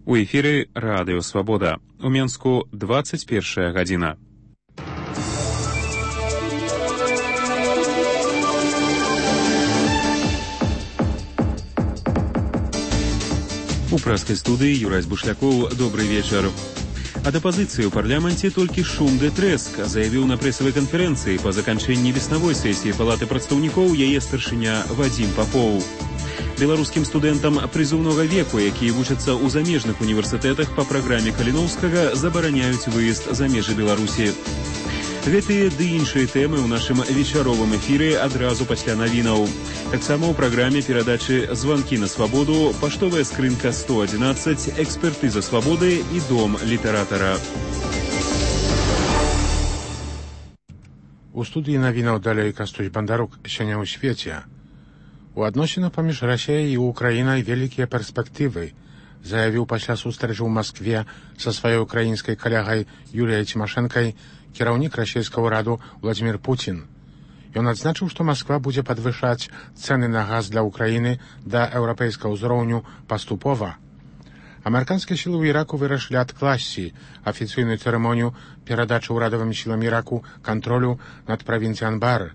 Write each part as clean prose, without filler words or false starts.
У эфіры Радыё Свабода. У Менску 21 гадзіна. У прэскай студыі Юрась Бушлякоў. Добрый вечар. Ад апазіцыі ў парламенце толькі шум ды трэск, заявіў на прэсавай канферэнцыі па заканчэнні веснавой сесіі Палаты прадстаўнікоў яе старшыня Вадзім Папоў. Беларускім студэнтам прызыўнога веку, якія вучацца ў замежных універсітэтах па праграме Каліноўскага, забараняюць выезд за межы Беларусі. Гэтыя ды іншыя тэмы ў нашым вечаровым эфіры адразу пасля навінаў. Таксама ў праграме перадачы «Званкі на свабоду», паштовая скрынка 111, экспертыза свабоды і дом літаратара. У студыі навінаў далей Кастусь Бандарук. Сёння ў свеце. У адносінах паміж Расіяй і Украінай вялікія перспектывы, заявіў пасля сустрэчы ў Маскве са сваёй украінскай калегай Юліяй Цімашэнкай кіраўнік расійскага ўраду Владзімір Пуцін. Ён адзначыў, што Масква будзе падвышаць цэны на газ для Украіны да еўрапейскага ўзроўню паступова. Амерыканскія сілы ў Іраку вырашылі адкласці афіцыйную цырымонію перадачы ўрадавым сілам Іраку кантролю над правінцыяй Анбар.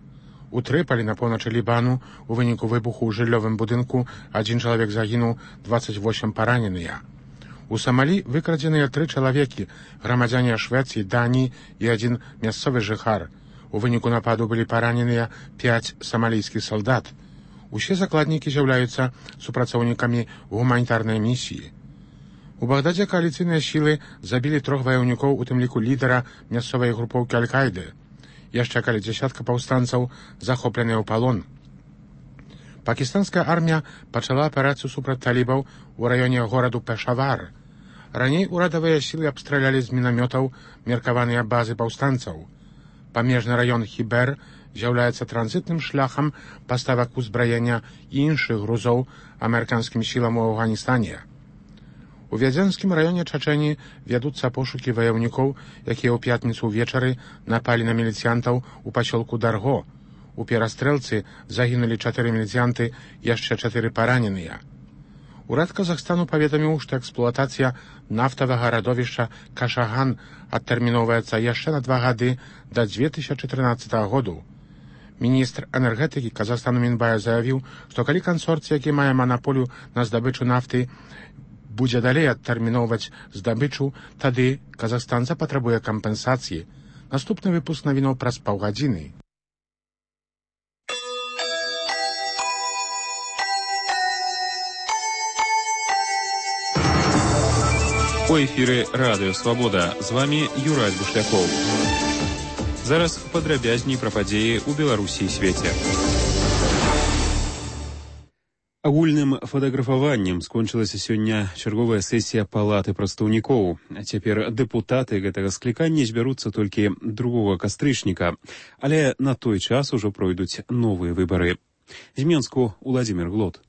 У Трыполі на поўначы Лібану у выніку выбуху ў жыллёвым будынку 1 чалавек загінуў, 28 параненыя. У Самалі выкрадзеныя 3 чалавекі, грамадзяне Швецыі, Даніі і 1 мясцовы жыхар. У выніку нападу былі параненыя 5 самалійскіх салдат. Усе закладнікі з'яўляюцца супрацоўнікамі гуманітарнай місіі. У Багдадзе кааліцыйныя сілы забілі 3 ваяўнікоў, у тым ліку лідара мясцовай групоўкі Аль-Каіды. Яшчэ каля дзясятка паўстанцаў захопленыя ў палон. Пакістанская армія пачала аперацыю супраць талібаў у раёне гораду Пешавар. Раней урадавыя сілы абстралялі з мінамётаў меркаваныя базы паўстанцаў. Памежны раён Хібер з'яўляецца транзітным шляхам паставак узбраення і іншых грузоў амерыканскім сілам у Афганістане. У Вядзенскім раёне Чачэні вядуцца пошукі ваяўнікоў, якія ў пятніцу ўвечары напалі на міліцыянтаў у пасёлку Дарго. У перастрэлцы загінулі 4 міліцыянты, яшчэ 4 параненыя. Урад Казахстану паведаміў, што эксплуатацыя нафтавага радовішча Кашаган адтэрміноўваецца яшчэ на 2 гады да 2013 году. Міністр энергетыкі Казахстану Мінбая заявіў, што калі кансорцый, які мае манаполію на здабычу нафты, будзе далей адтэрміноўваць здабычу, тады Казахстан запатрабуе кампенсацыі. Наступны выпуск навінаў праз паўгадзіны. У эфіры Радыё Свабода. З вами Юрась Бушлякоў. Зараз падрабязней пра падзеі ў Беларусі і свеце. Агульным фотаграфаваннем скончылася сёння чарговая сесія Палаты прадстаўнікоў. Цяпер дэпутаты гэтага склікання збяруцца толькі 2 кастрычніка, але на той час ужо пройдуць новыя выбары. З Менску Владзімір Глот.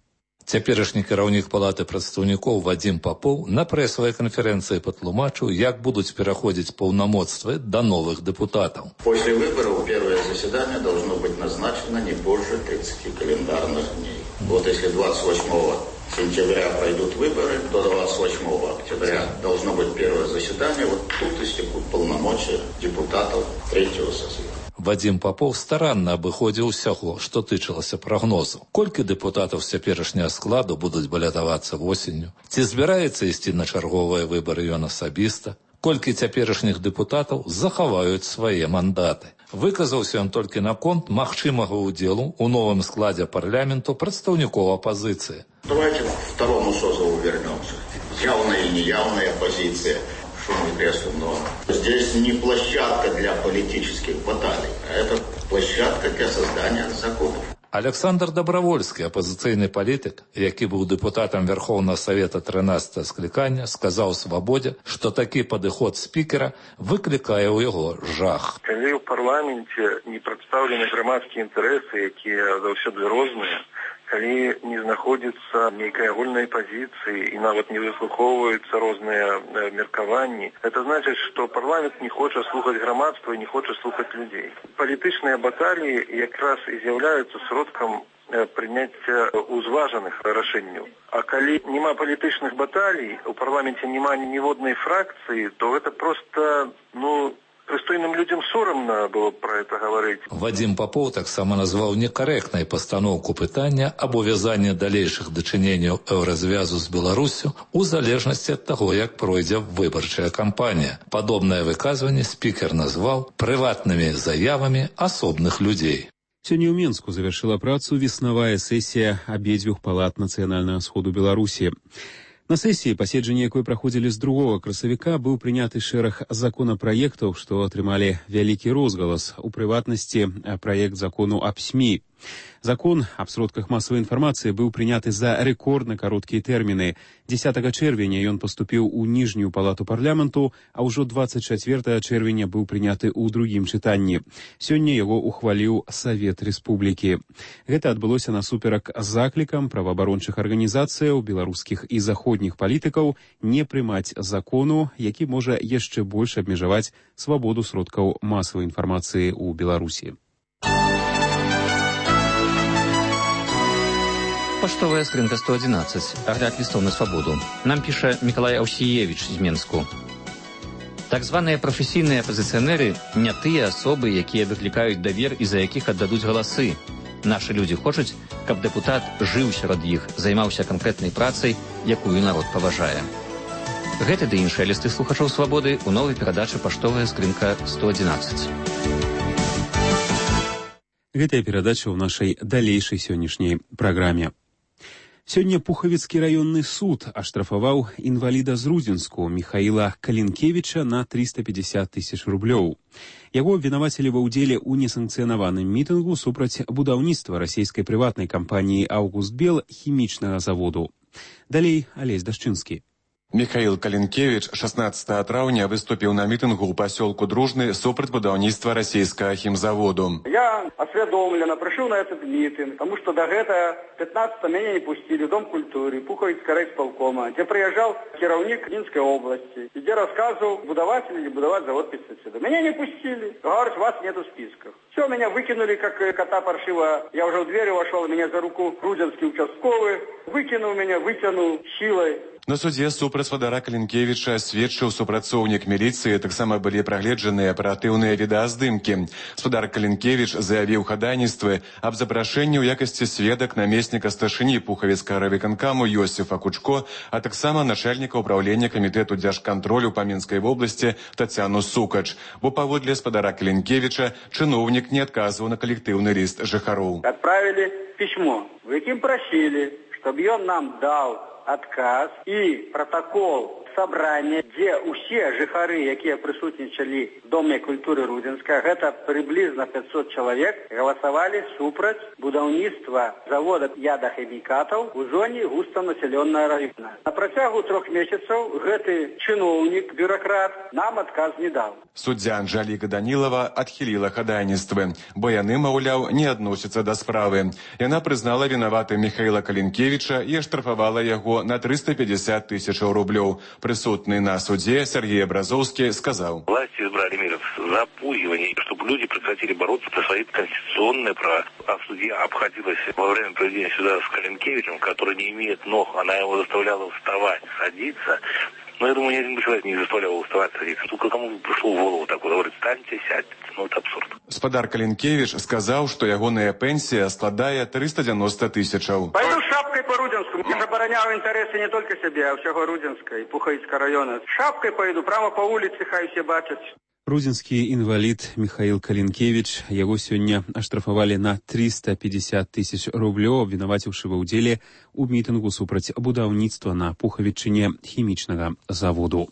Цяперашні кіраўнік Палаты прадстаўнікоў Вадзім Папоў на прэсавай канферэнцыі патлумачыў, як будуць пераходзіць паўнамоцтвы да новых депутатов. После выборов первое заседание должно быть назначено не позже 30 календарных дней. Вот если 28 сентября пройдут выборы, то 28 октября должно быть первое заседание. Вот тут истекут полномочия депутатов 3-го созыва. Вадзім Папоў старанна абыходзіў усяго, што тычылася прагнозу. Колькі дэпутатаў з цяперашняга складу будуць балятавацца восенню? Ці збіраецца ісці на чарговыя выбары ён асабіста? Колькі цяперашніх дэпутатаў захаваюць свае мандаты? Выказаўся ён толькі наконт магчымага ўдзелу ў новым складзе парламенту прадстаўнікоў апазіцыі. Давайте к второму созыву вернемся. Явная и неявная оппозиция. Шум и треск, но здесь не площадка для политических баталий, а это площадка для создания законов. Александр Добровольскі, апозіцыйны палітык, які быў дэпутатам Верховнага Савета 13 склікання, сказаў Свабодзе, што такі падыход спікера выклікае ў яго жах. Калі ў парламенце не прадстаўлены грамадскія інтарэсы, якія заўсёды розныя, калі не знаходзіцца нейкай агульнай пазіцыі і нават не выслухоўваюцца розныя меркаванні, это значыць, што парламент не хоча слухаць грамадства і не хоча слухаць людзей. Палітычныя баталіі якраз і з'яўляюцца сродкам прыняцця узважаных рашэнняў. А калі няма палітычных баталій, у парламенце няма ніводнай фракцыі, то гэта проста, прыстойным людям сорамна было про это говорить. Вадим Попов таксама назваў некарэктнай пастаноўку пытання аб увязанні далейшых дачыненняў еўразвязу з Беларусю у залежнасці ад таго, як пройдзе выбарчая кампанія. Падобнае выказванне спікер назваў прыватнымі заявамі асобных людзей. Сёння ў Менску завершыла працу веснавая сесія абедзвюх палат нацыянальнага сходу Беларусі. На сесіі, паседжанне якой праходзілі з 2 красавіка, быў прыняты шэраг законапраектаў, што атрымалі вялікі розгалас, у прыватнасці праект закону аб СМІ. Закон аб сродках масавай інфармацыі быў прыняты за рэкордна кароткія тэрміны. 10 чэрвеня ён паступіў у ніжнюю палату парламенту, а ўжо 24 чэрвеня быў прыняты ў другім чытанні. Сёння яго ухваліў Савет Рэспублікі. Гэта адбылося насуперак заклікам праваабарончых арганізацыяў, беларускіх і заходніх палітыкаў не прымаць закону, які можа яшчэ больш абмежаваць свабоду сродкаў масавай інфармацыі ў Беларусі. Паштовая скрынка 111. Агляд листов на свободу. Нам піша Миколай Аусіевич з Менску. Так званыя прафесійныя апазіцыянеры не тыя асобы, якія выклікаюць давер і за якіх аддадуць галасы. Нашы людзі хочуць, каб дэпутат жыў сярод іх, займаўся канкрэтнай працай, якую народ паважае. Гэты ды іншыя лісты слухачоў свабоды ў новай перадачы «Паштовая скрынка 111». Гэтая перадача ў нашай далейшай сённяшняй праграме. Сёння Пухавіцкі раённы суд аштрафаваў інваліда з Рудзенску Михаіла Калінкевіча на 350 000 рублёў. Яго абвінавацілі ва ўдзеле ў несанкцыянаваным мітынгу супраць будаўніцтва расійскай прыватнай кампаніі «Аўгустбел» хімічнага заводу. Далей Алесь Дашчынскі. Михаил Калинкевич 16 траўня выступил на митингу у поселку Дружный супраць будаўніцтва российского химзаводу. Я осведомленно пришел на этот митинг, потому что до этого 15 меня не пустили в Дом культуры Пуховицкого райисполкома, где приезжал кіраўнік Минской области, где рассказывал, будовать или не будовать завод пестицидов. Меня не пустили. Говорят, вас нету в списках. Все, меня выкинули, как кота паршиво. Я уже в двери вошел, меня за руку грузинский участковый выкинул меня, вытянул силой. На суде супраць вадара Калінкевіча сведчыў супрацоўнік міліцыі, таксама былі прагледжаныя аператыўныя відэаздымкі. Спадар Калінкевіч заявіў хадайніцтвы аб запрашэнні ў якасці сведак намесніка старшыні Пухавіцкага райвыканкаму Йосіфа Кучко, а таксама начальніка ўправлення камітэту дзяржкантролю па Мінскай вобласці Тацяну Сукач. Бо паводле спадара Калінкевіча чыноўнік не адказваў на калектыўны ліст жыхароў. Отправили письмо, в якім просили, чтобы он нам дал отказ и протокол собрания, где все жыхары, якія присутнічали в Доме культуры Рудзенска, это приблизно 500 человек, голосовали супраць будаўніцтва завода ядахімікатаў у зоне густонаселенного района. На працягу 3 месяцев гэты чыноўнік, бюрократ, нам отказ не дал. Суддзя Анжаліка Данілава адхіліла хадайніцтвы, бо яны, маўляў, не адносяцца да справы. Яна прызнала вінаватым Михаіла Калінкевіча і аштрафавала яго на 350 000 рублёў. Присутный на суде Сергей Образовский сказал: власти избрали меры запугивания, чтобы люди прекратили бороться за свои конституционные права. А судья обходилась во время проведения суда с Калинкевичем, который не имеет ног, она его заставляла вставать, садиться. Но я думаю, ни один человек не заставлял его вставать, садиться. Только кому пришло в голову такое, говорит, встаньте, сядьте. Ну, это абсурд. Спадар Калінкевіч сказаў, што ягоная пенсія складае 390 000. Пойду шапкой по Рудзенску. Я забороняю интересы не только себе, а всего Рудзенска и Пуховицкого района. Шапкой пойду, прямо по улице, хай все бачат. Рудзенскі інвалід Михаіл Калінкевіч, яго сёння аштрафавалі на 350 000 рублёў, абвінаваціўшы ва ўдзеле ў мітынгу супраць будаўніцтва на Пухавічыне хімічнага заводу.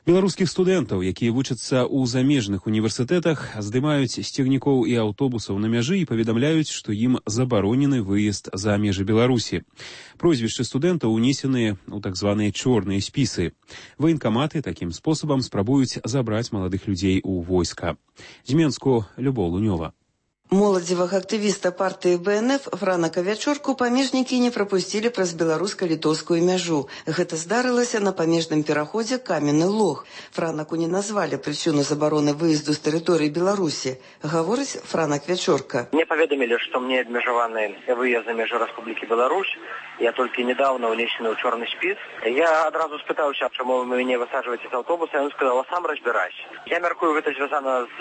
Беларускіх студэнтаў, якія вучацца ў замежных універсітэтах, здымаюць з цягнікоў і аўтобусаў на мяжы і паведамляюць, што ім забаронены выезд за межы Беларусі. Прозвішчы студэнтаў унесеныя ў так званыя чорныя спісы. Ваенкаматы такім спосабам спрабуюць забраць маладых людзей у войска. З Менску Любоў Лунёва. Моладзевага актывіста партыі БНФ Франака Вячорку памежнікі не прапусцілі праз беларуска-літоўскую мяжу. Гэта здарылася на памежным пераходзе Каменны Лог. Франаку не назвалі прычыну забароны выезду з тэрыторыі Беларусі. Гаворыць Франак Вячорка. Мне паведамілі, што мне абмежаваны выезд за межы Рэспублікі Беларусь. Я толькі недавно унесены ў чорны спіс. Я адразу спытаўся, чаму вы мяне высаджваеце з аўтобуса, і ён сказаў: сам разбірайся. Я мяркую, гэта звязана з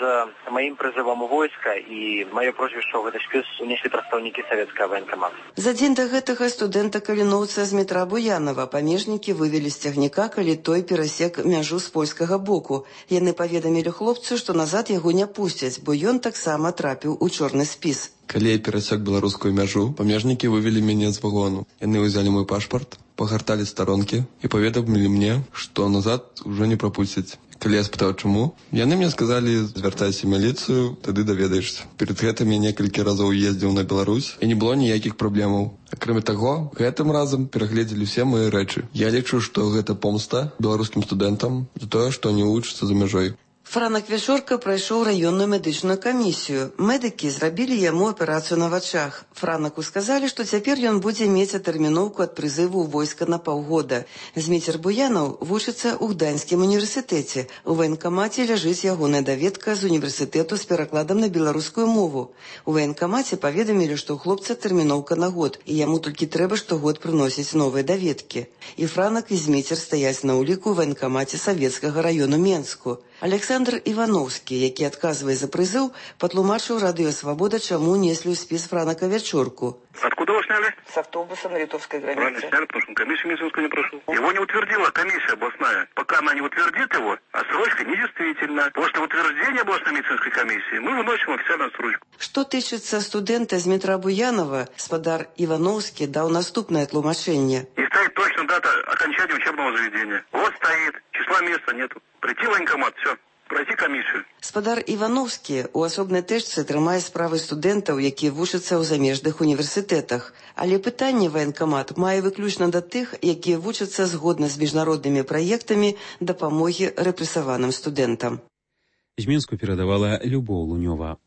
маім прызывам у войска, і маё прозвішча ў гэты спіс унеслі прадстаўнікі савецкага ваенкамата. За дзень да гэтага студэнта-каліноўца з метра Буянова памежнікі вывелі з цягніка, калі той перасек мяжу з польскага боку. Яны паведамілі хлопцу, што назад яго не пусцяць, бо ён таксама трапіў у чорны спіс. Калі я перасек беларускую мяжу, памежнікі вывелі мяне з вагону. Яны ўзялі мой пашпарт, пагарталі старонкі і паведамілі мне, што назад ужо не прапусцяць. Калі я спытаў, чаму, яны мне сказалі: звяртайся ў міліцыю, тады даведаешся. Перед гэтым я некалькі разоў ездзіў на Беларусь, і не было ніякіх праблемаў. Акрамя таго, гэтым разам перагледзелі ўсе мае рэчы. Я лічу, што гэта помста беларускім студэнтам за тое, што не вучацца за мяжой. Франак Вячорка прайшоў раённую медычную камісію. Медыкі зрабілі яму аперацыю на вачах. Франаку сказалі, што цяпер ён будзе мець атэрміноўку ад прызыву ў войска на паўгода. Зміцер Буянаў вучыцца ў Гданьскім універсітэце. У ваенкамаце ляжыць ягоная даведка з універсітэту з перакладам на беларускую мову. У ваенкамаце паведамілі, што ў хлопца тэрміноўка на год, і яму толькі трэба штогод прыносіць новыя даведкі. І Франак, і Зміцер стаяць на ўліку ў ваенкамаце савецкага раёну Менску. Александр Ивановский, які адказвае за прызыў, патлумачыў Радыё Свабода, чаму неслі ў спіс Франака Вячорку. Откуда вы сняли? С автобуса на литовской границе. Правильно сняли, потому что комиссия медицинскую не прошел. Его не утвердила комиссия областная. Пока она не утвердит его, отсрочка недействительна. После утверждения областной медицинской комиссии мы выносим официальную отсрочку. Што тычыцца студэнта з метра Буянова, спадар Ивановский даў наступнае тлумачэнне. И стоит точно дата окончания учебного заведения. Вот стоит, числа места нету. Прийти в военкомат, все. Пройти камісію. Спадар Івановскі у асобнай тэчцы трымае справы студэнтаў, якія вучацца ў замежных універсітэтах. Але пытанне ваенкамат мае выключна да тых, якія вучацца згодна з міжнароднымі праектамі дапамогі рэпрэсаваным студэнтам. З Мінску перадавала Любоў Лунёва.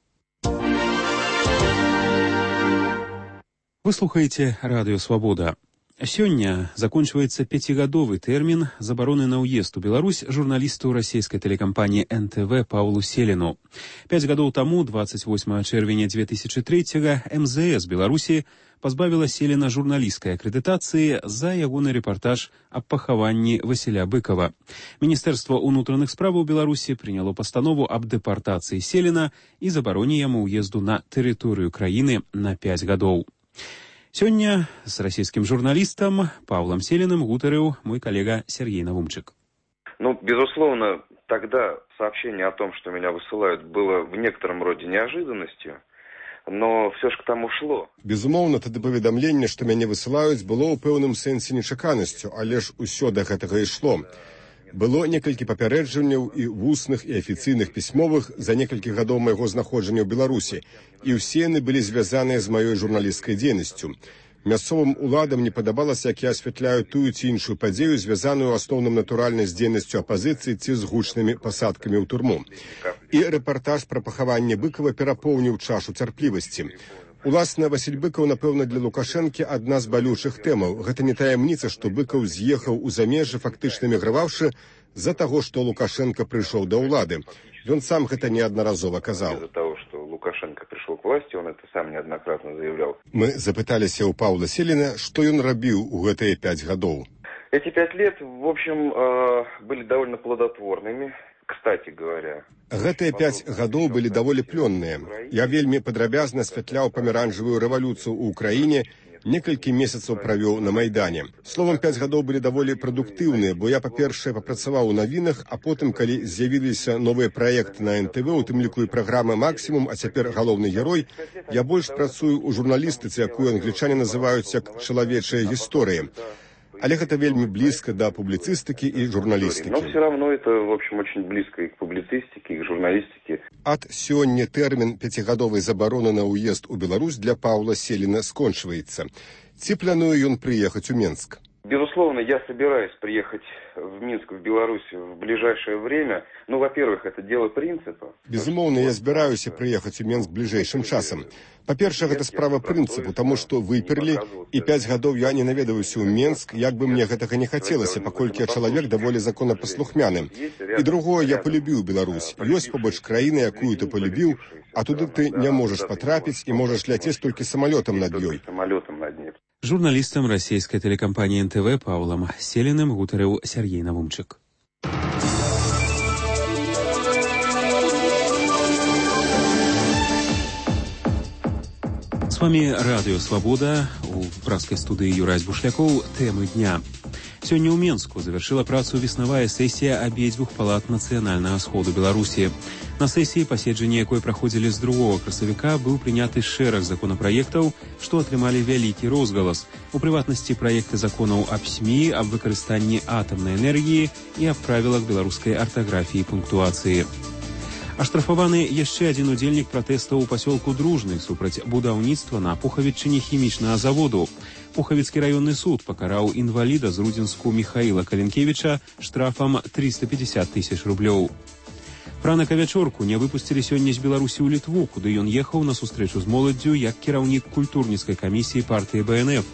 Вы слухаеце Радыё Свабода. Сёння закончваецца 5гадовы тэрмін забароны на ўезд у Беларусь журналісту расійскай тэлекампаніі НТВ Паўлу Селіну. 5 гадоў таму, 28 чэрвеня 2003-го, МЗС Беларусі пазбавіла Селіна журналісцкай акрэдытацыі за ягоны рэпартаж аб пахаванні Васіля Быкова. Міністэрства ўнутраных справаў Беларусі прыняло пастанову аб дэпартацыі Селіна і забароне яму ўезду на тэрыторыю краіны на 5 гадоў. Сегодня с российским журналистом Павлом Селиным гутарыў мой коллега Сергей Навумчик. Безусловно, тогда сообщение о том, что меня высылают, было в некотором роде неожиданностью, но все ж к тому шло. Безумоўна, тады паведамленне, што мяне высылаюць, было ў пэўным сэнсе нечаканасцю, але ж усё да гэтага ішло. Было некалькі папярэджанняў і вусных, і афіцыйных пісьмовых за некалькі гадоў майго знаходжання ў Беларусі, і ўсе яны былі звязаныя з маёй журналісцкай дзейнасцю. Мясцовым уладам не падабалася, як я асвятляю тую ці іншую падзею, звязаную ў асноўным натуральна з дзейнасцю апазіцыі ці з гучнымі пасадкамі ў турму. І рэпартаж пра пахаванне Быкова перапоўніў чашу цярплівасці. Уласна, Васіль Быкаў, напэўна, для Лукашэнкі адна з балючых тэмаў. Гэта не таямніца, што Быкаў з'ехаў у замежжа, фактычна эміграваўшы з-за таго, што Лукашенко прыйшоў да ўлады. Ён сам гэта неаднаразова казаў. Из-за того, что Лукашенко пришел к власти, он это сам неоднократно заявлял. Мы запыталіся ў Паўла Селіна, што ён рабіў у гэтыя 5 гадоў. Эти 5 лет, в общем, были довольно плодотворными. Кстати говоря, гэтыя 5 гадоў былі даволі плённыя. Я вельмі падрабязна асвятляў памяранжавую рэвалюцыю ў Украіне, некалькі месяцаў правёў на Майдане. Словам, 5 гадоў былі даволі прадуктыўныя, бо я, па-першае, папрацаваў у навінах, а потым, калі з'явіліся новыя праекты на НТВ, у тым ліку і праграма «Максімум», а цяпер галоўны герой, я больш працую ў журналістыцы, якую англічане называюць як чалавечая гісторыя. Але гэта вельмі блізка да публіцыстыкі і журналістыкі. Но все равно это, в общем, очень близко и к публицистике, и к журналистике. Ад сёння тэрмін 5гадовай забароны на ўезд у Беларусь для Паўла Селіна скончваецца. Ці плануе ён прыехаць у Менск? Безусловно, я собираюсь приехать в Минск, в Беларусь в ближайшее время. Ну, во-первых, это дело принципа. Безумоўна, я збіраюся прыехаць у Мінск бліжэйшым часам. Па-першае, гэта справа прынцыпу, таму што выперлі, і 5 гадоў я не наведаюся ў Мінск, як бы мне гэтага не хацелася, паколькі я чалавек даволі законапаслухмяны. І другое, я полюбіў Беларусь. Ёсць побач краіна, якую ты полюбіў, а туды ты не можаш патрапіць і можаш ляцець толькі самалётам над ёй. Журналістам расійскай тэлекампаніі НТВ Паўлам Селіным гутарыў Сергей Навумчык. С вами Радио Свобода. У пражской студии Юрай Бушляков. Темы дня. Сегодня у Менску завершила працу веснавая сессия обеих палат Национального сходу Беларуси. На сессии, паседжанне якой проходили с 2 красавіка, был приняты шэраг законопроектов, что атрымали вялікі розгалас. У прыватнасці проекты законов об СМИ, об выкарыстанні атомной энергии и об правилах белорусской ортографии и пунктуации. Аштрафаваны яшчэ адзін удзельнік пратэстаў у пасёлку Дружны супраць будаўніцтва на Пухавічыне хімічнага заводу. Пухавіцкі раённы суд пакараў інваліда з Рудзінску Михаила Калінкевіча штрафам 350 000 рублёў. Франака Вячорку не выпусцілі сёння з Беларусі ў Літву, куды ён ехаў на сустрэчу з моладдзю як кіраўнік культурніцкай камісіі партыі БНФ.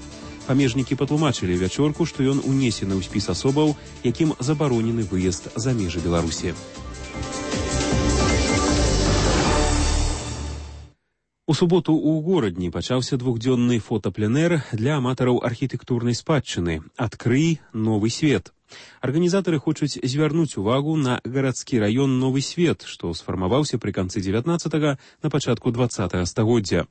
Памежнікі патлумачылі Вячорку, што ён унесены ў спіс асобаў, якім забаронены выезд за межы Беларусі. У суботу ў горадні пачаўся двухдзённы фотапленэр для аматараў архітэктурнай спадчыны «Адкрый новы свет». Арганізатары хочуць звярнуць увагу на гарадскі раён Новы Свет, што сфармаваўся пры канцы 19-га, на пачатку 20-го стагоддзя.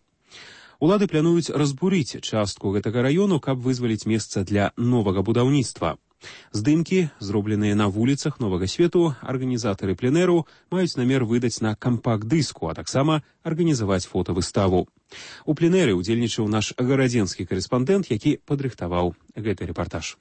Улады плануюць разбурыць частку гэтага раёну, каб вызваліць месца для новага будаўніцтва. Здымкі, зробленыя на вуліцах Новага Свету, арганізатары пленэру маюць намер выдаць на кампакт-дыску, а таксама арганізаваць фотавыставу. У пленэры удзельнічаў наш гарадзенскі карэспандэнт, які падрыхтаваў гэты рэпартаж.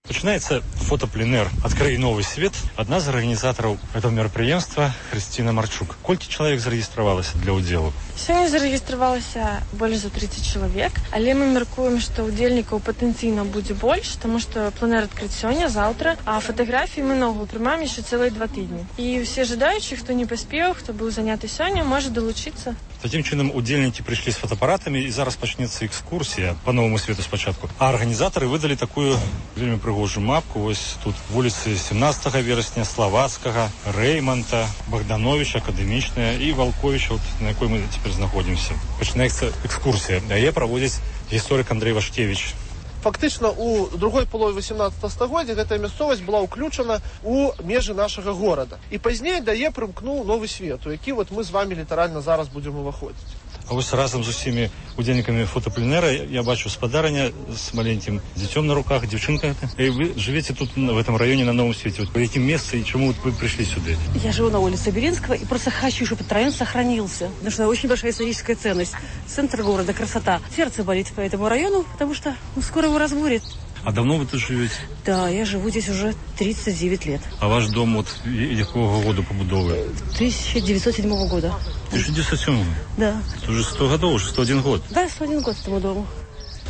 Пачынаецца фотапленэр «Адкрый новы свет». Адна з арганізатараў этого мерапрыемства Хрысціна Марчук. Колькі чалавек зарэгістравалася для ўдзелу? Сёння зарэгістравалася больш за 30 чалавек, але мы мяркуем, што ўдзельнікаў патэнцыйна будзе больш, таму што пленэр адкрыць сёння, заўтра, а фатаграфіі мы наогул прымаем яшчэ цэлыя 2 тыдні. І ўсе жадаючыя, хто не паспеў, хто быў заняты сёння, можа далучыцца. Такім чынам удзельнікі прыйшлі з фотаапаратамі, і зараз пачнецца экскурсія па Новаму Свету спачатку. А арганізатары выдалі такую вельмі прыгожую мапку. Вось тут вуліцы 17 верасня, Славацкага, Рэйманта, Богдановича, Акадэмічная і Валковіча, вот, на якой мы цяпер знаходзімся. Пачынаецца экскурсія. Яе праводзіць гісторык Андрэй Вашкевіч. Фактычна у другой палове 18 стагоддзя гэтая мясцовасць была ўключана ў межы нашага горада. І пазней да яе прымкнуў Новы Свет, у які вот мы з вами літаральна зараз будзем уваходзіць. А вось разам з усімі удзельнікамі фотапленэра я бачу спадарня з маленькім дзіцём на руках, дзяўчынка. І вы живете тут, в этом районе, на Новом Свете. Вот по каким местам и чему вы пришли сюда? Я живу на улице Беринского и просто хочу, чтобы этот район сохранился. Потому что очень большая историческая ценность. Центр города, красота. Сердце болит по этому району, потому что скоро его разбурят. А давно вы тут живете? Да, я живу здесь уже 39 лет. А ваш дом вот якого года побудовы? 1907 года. 1907? Да. Это уже 100 годов, уже 101 год? Да, 101 год этому дому.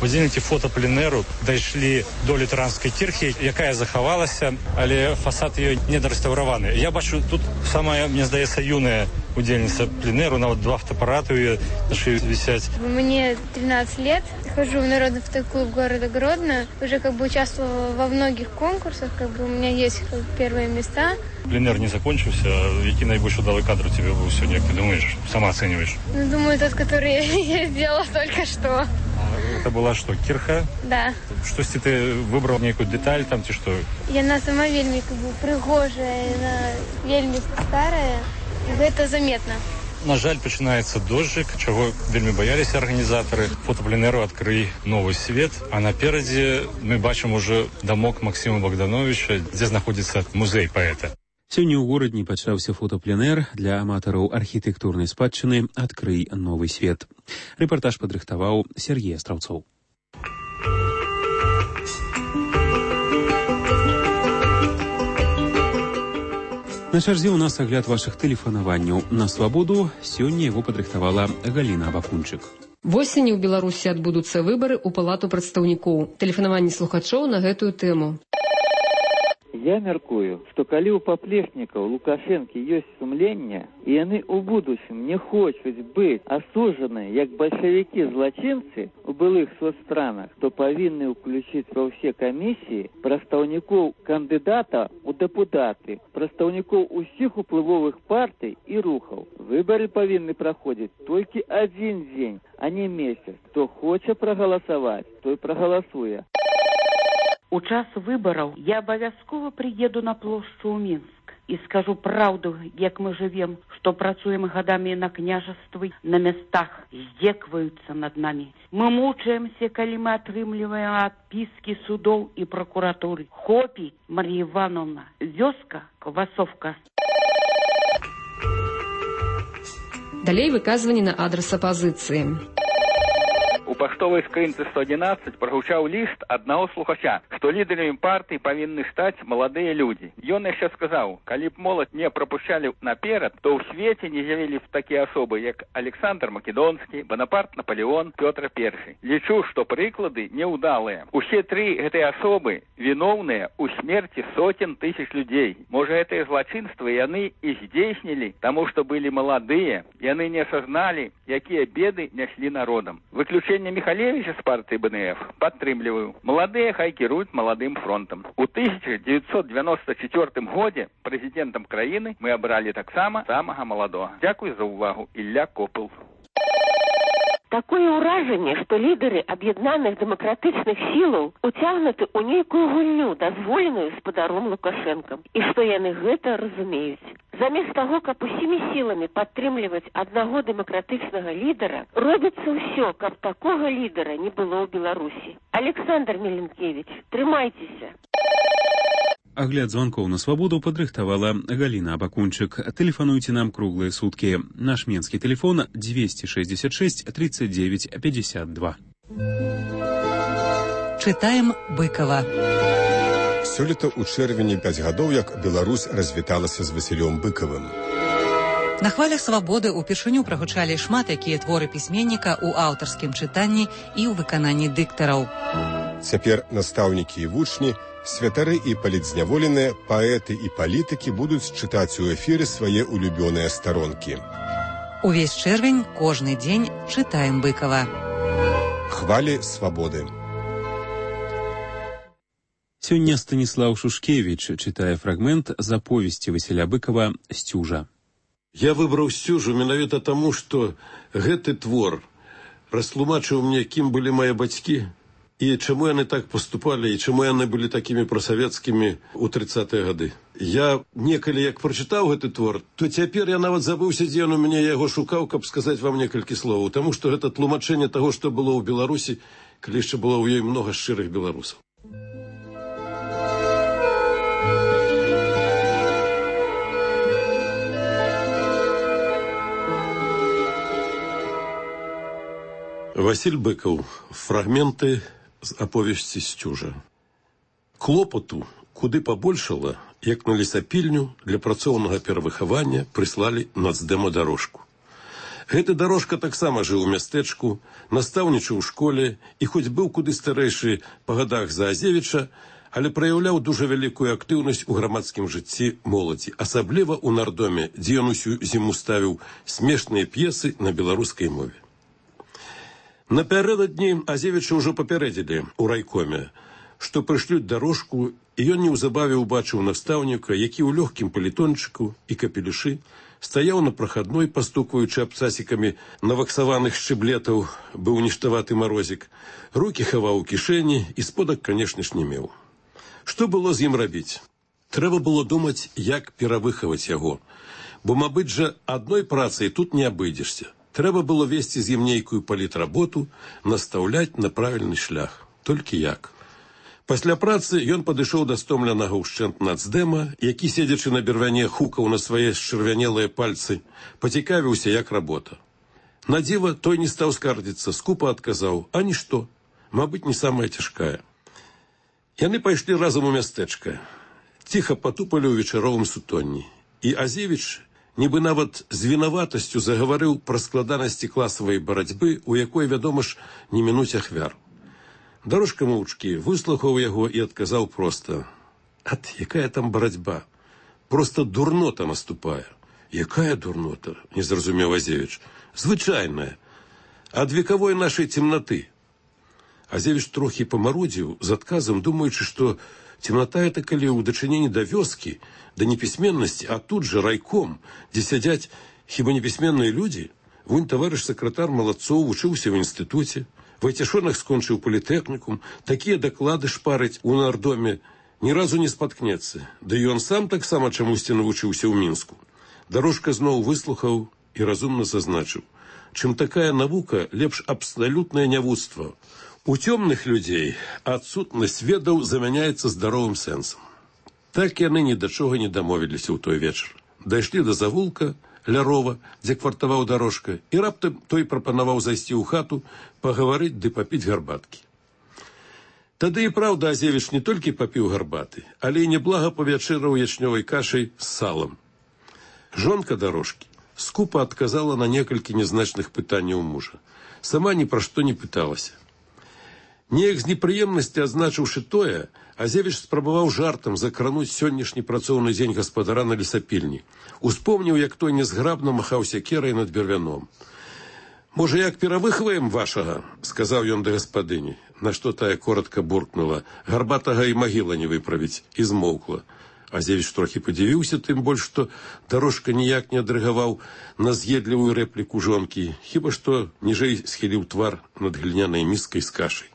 Удзельнікі фотапленеру дайшлі до літаранскай кірхі, якая захавалася, але фасад ее недарэстаўраваны. Я бачу, тут самая, мне здаецца, юная удзельніца пленеру, нават 2 фотоапарата у ее на шее висять. Мне 13 лет, хожу в народный фотоклуб города Гродно, уже как бы участвовала во многих конкурсах, как бы у меня есть первые места. Пленер не закончился, який найбольш удалый кадр у тебя был сегодня, как ты думаешь, сама оцениваешь? Ну, думаю, тот, который я сделала только что. Это была что, кирха? Да. Что если ты выбрал некую деталь там, ты что? Яна сама вельмі как бы прыгожая, яна вельмі старая, і гэта заметна. На жаль, пачынаецца дождик, чаго вельмі баяліся арганізатары. Фотапленеру «Адкрый новы свет», а наперадзе мы бачым уже дамок Максима Богдановича, дзе знаходзіцца музей паэта. Сёння ў горадні пачаўся фотапленэр для аматараў архітэктурнай спадчыны «Адкрый новы свет». Рэпартаж падрыхтаваў Сергей Астраўцоў. На чарзе ў нас агляд вашых тэлефанаванняў на свабоду. Сёння яго падрыхтавала Галіна Абакунчык. Восенню ў Беларусі адбудуцца выбары ў палату прадстаўнікоў. Тэлефанаванне слухачоў на гэтую тэму. Я мяркую, што калі ў паплечнікаў Лукашэнкі ёсць сумленне, і яны ў будучым не хочуць быць асуджаныя як бальшавікі-злачынцы у былых соцстранах, то павінны ўключыць ва ўсе камісіі прадстаўнікоў кандыдата ў дэпутаты, прадстаўнікоў усіх уплывовых партый і рухаў. Выбары павінны праходзіць толькі адзін дзень, а не месяц. Хто хоча прагаласаваць, той прагаласуе. У час выбараў я абавязкова прыеду на плошчу ў Мінск і скажу праўду, як мы жывем, што працуем гадамі на княжаствы, на местах, здзекваюцца над намі. Мы мучаемся, калі мы атрымліваем адпіскі судоў і пракуратуры. Хопі, Марія Івановна, вёска, квасовка. Далей выказванні на адрас апазіцыі. У паштовай скрынцы 111 прагучаў ліст аднаго слухача, што лідарамі партыі павінны стаць маладыя людзі. Ён яшчэ сказаў, калі б моладзь не прапушчалі наперад, то ў свеце не з'явілі б такія асобы, як Александр Македонскі, Бонапарт Наполеон, Пётр I. Лічу, што прыклады неўдалыя. Усе тры гэтыя асобы віноўныя ў смерці сотен тысяч людзей. Можа, гэтыя злачынствы яны і здзейснілі, таму што былі маладыя, яны не асазналі, якія беды няслі народам. Выключэнне Михалевича з партыі БНФ падтрымліваю. Маладыя хай кіруюць маладым фронтам. У 1994 годзе прэзідэнтам краіны мы абралі таксама самага маладога. Дзякуй за ўвагу. Ілля Копыл. Такое ўражанне, што лідары аб'яднаных дэмакратычных сілаў уцягнуты ў нейкую гульню, дазволеную спадаром Лукашэнкам, і што яны гэта разумеюць. Замест таго, каб усімі сіламі падтрымліваць аднаго дэмакратычнага лідара, робіцца ўсё, каб такога лідара не было ў Беларусі. Александр Меленкевич, трымайцеся. Агляд звонкоў на свабоду падрыхтавала Галіна Абакунчык. Тэлефануйце нам круглыя суткі. Наш менскі тэлефон 266 39 52. Чытаем Быкова. Сёлета ў чэрвені 5 гадоў, як Беларусь развіталася з Васілём Быкавым. На хвалях свабоды ўпершыню прагучалі шмат якія творы пісьменніка ў аўтарскім чытанні і ў выкананні дыктараў. Цяпер настаўнікі і вучні, святары і палітзняволеныя, паэты і палітыкі будуць чытаць у эфіры свае улюбёныя старонкі. Увесь чэрвень, кожны дзень чытаем Быкава. Хвалі свабоды. Сёння Станіслаў Шушкевіч чытае фрагмент з аповесці Васіля Быкава «Сцюжа». Я выбраў «Сцюжу» менавіта таму, што гэты твор растлумачыў мне, кім былі мае бацькі, і чаму яны так паступалі, і чаму яны былі такімі прасавецкімі ў 30-е гады. Я некалі, як прачытаў гэты твор, то цяпер я нават забыўся, дзе ён у мяне яго шукаў, каб сказаць вам некалькі словаў, таму што гэта тлумачэнне таго, што было ў Беларусі, калі яшчэ было ў ёй многа шчырых беларусаў. Васіль Быкаў. Фрагменты з аповесці «Сцюжа». Клопату куды пабольшала, як на лесапільню для працоўнага перавыхавання прыслалі нацдэма дарожку. Гэты дарожка таксама жыў у мястэчку, настаўнічаў у школе і хоць быў куды старэйшы па гадах за Азевіча, але праяўляў дужа вялікую актыўнасць у грамадскім жыцці моладзі, асабліва ў нардоме, дзе ён усю зіму ставіў смешныя п'есы на беларускай мове. Напярэдадні Азевіча ўжо папярэдзілі ў райкоме, што прышлюць дарожку, і ён неўзабаве ўбачыў настаўніка, які ў лёгкім палітончыку і капелюшы стаяў на прахадной, пастукваючы абцасікамі наваксаваных шчыблетаў, быў ніштаваты марозік, рукі хаваў у кішэні і сподак, канешне ж, не меў. Што было з ім рабіць? Трэба было думаць, як перавыхаваць яго, бо, мабыць жа, адной працай тут не абыдзешся. Трэба было весці з ім нейкую палітработу, настаўляць на правільны шлях. Толькі як? Пасля працы ён падышоў да стомленага ўшчэнт нацдэма, які, седзячы на бервяне, хукаў на свае счырвянелыя пальцы, пацікавіўся, як работа. На дзіва той не стаў скардзіцца, скупа адказаў: «А нішто, мабыць, не самая цяжкая». Яны пайшлі разам у мястэчка, ціха патупалі ў вечаровым сутонні, і Азевіч нібы нават з вінаватасцю загаварыў пра складанасці класавай барацьбы, у якой, вядома ж, не мінуць ахвяр. Дарожка моўчкі выслухаў яго і адказаў проста: «Ат, якая там барацьба? Просто дурнота наступае». «Якая дурнота?» – не зразумеў Азевіч. «Звычайная. Ад векавой нашай цемнаты». Азевіч трохі памарудзіў з адказам, думаючы, што цемната это калі ў дачыненні да вёскі, да непісьменнасці, а тут жа райком, дзе сядзяць хіба непісьменныя людзі. Вунь таварыш сакратар Малацоў вучыўся ў інстытуце, Вайцяшонак скончыў політэхнікум, такія даклады шпарыць у нардоме, ні разу не спаткнецца. Да і ён сам таксама чамусьці навучыўся ў Мінску. Дарожка зноў выслухаў і разумна зазначыў: чым такая навука, лепш абсалютнае нявуцтва. У цёмных людзей адсутнасць ведаў замяняецца здаровым сэнсам. Так яны ні да чога не дамовіліся ў той вечар. Дайшлі да завулка Лярова, дзе квартаваў Дарожка, і раптам той прапанаваў зайсці ў хату, пагаварыць ды папіць гарбаткі. Тады і праўда Азевіч не толькі папіў гарбаты, але і неблага павячэраў ячнёвай кашай з салам. Жонка Дарожкі скупа адказала на некалькі нязначных пытанняў мужа. Сама ні пра што не пыталася. Неяк з непрыемнасці адзначыўшы тое, Азевіч спрабаваў жартам закрануць сённяшні працоўны дзень гаспадара на лесапільні. Успомніў, як той незграбна махаў сякерай над бервяном. «Можа, як перавыхваем вашага?» – сказаў ён да гаспадыні, на што тая коротка буркнула: «Гарбатага і магіла не выправіць», і змоўкла. Азевіч трохі падзівіўся, тым больш, што Дарожка ніяк не адрэагаваў на з'едлівую рэпліку жонкі, хіба што ніжэй схіліў твар над глінянай міскай з кашай.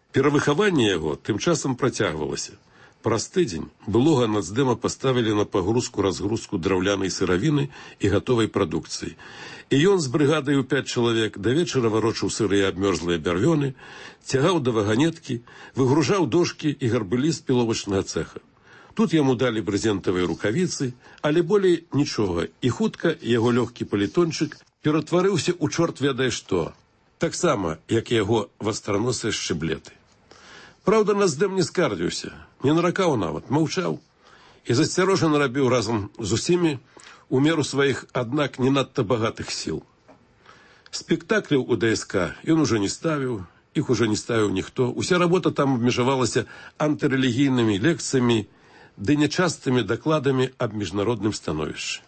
Перавыхаванне яго тым часам працягвалася. Праз тыдзень былога нацдэма паставілі на пагрузку-разгрузку драўлянай сыравіны і гатовай прадукцыі. І ён з брыгадай у 5 чалавек да вечара варочаў сырыя абмёрзлыя бярвёны, цягаў да ваганеткі, выгружаў дошкі і гарбылі з піловачнага цэха. Тут яму далі брызентавыя рукавіцы, але болей нічога, і хутка яго лёгкі палітончык ператварыўся ў чорт ведае што. Таксама, як і яго вастраносыя шчыблеты. Праўда, нацдэм не скардзіўся, не наракаў нават, маўчаў і засцярожана рабіў разам з усімі у меру сваіх, аднак не надта багатых сіл. Спектакляў у ДСК ён ужо не ставіў, іх ужо не ставіў ніхто. Уся работа там абмежавалася антырэлігійнымі лекцыямі ды нячастымі дакладамі аб міжнародным становішчы.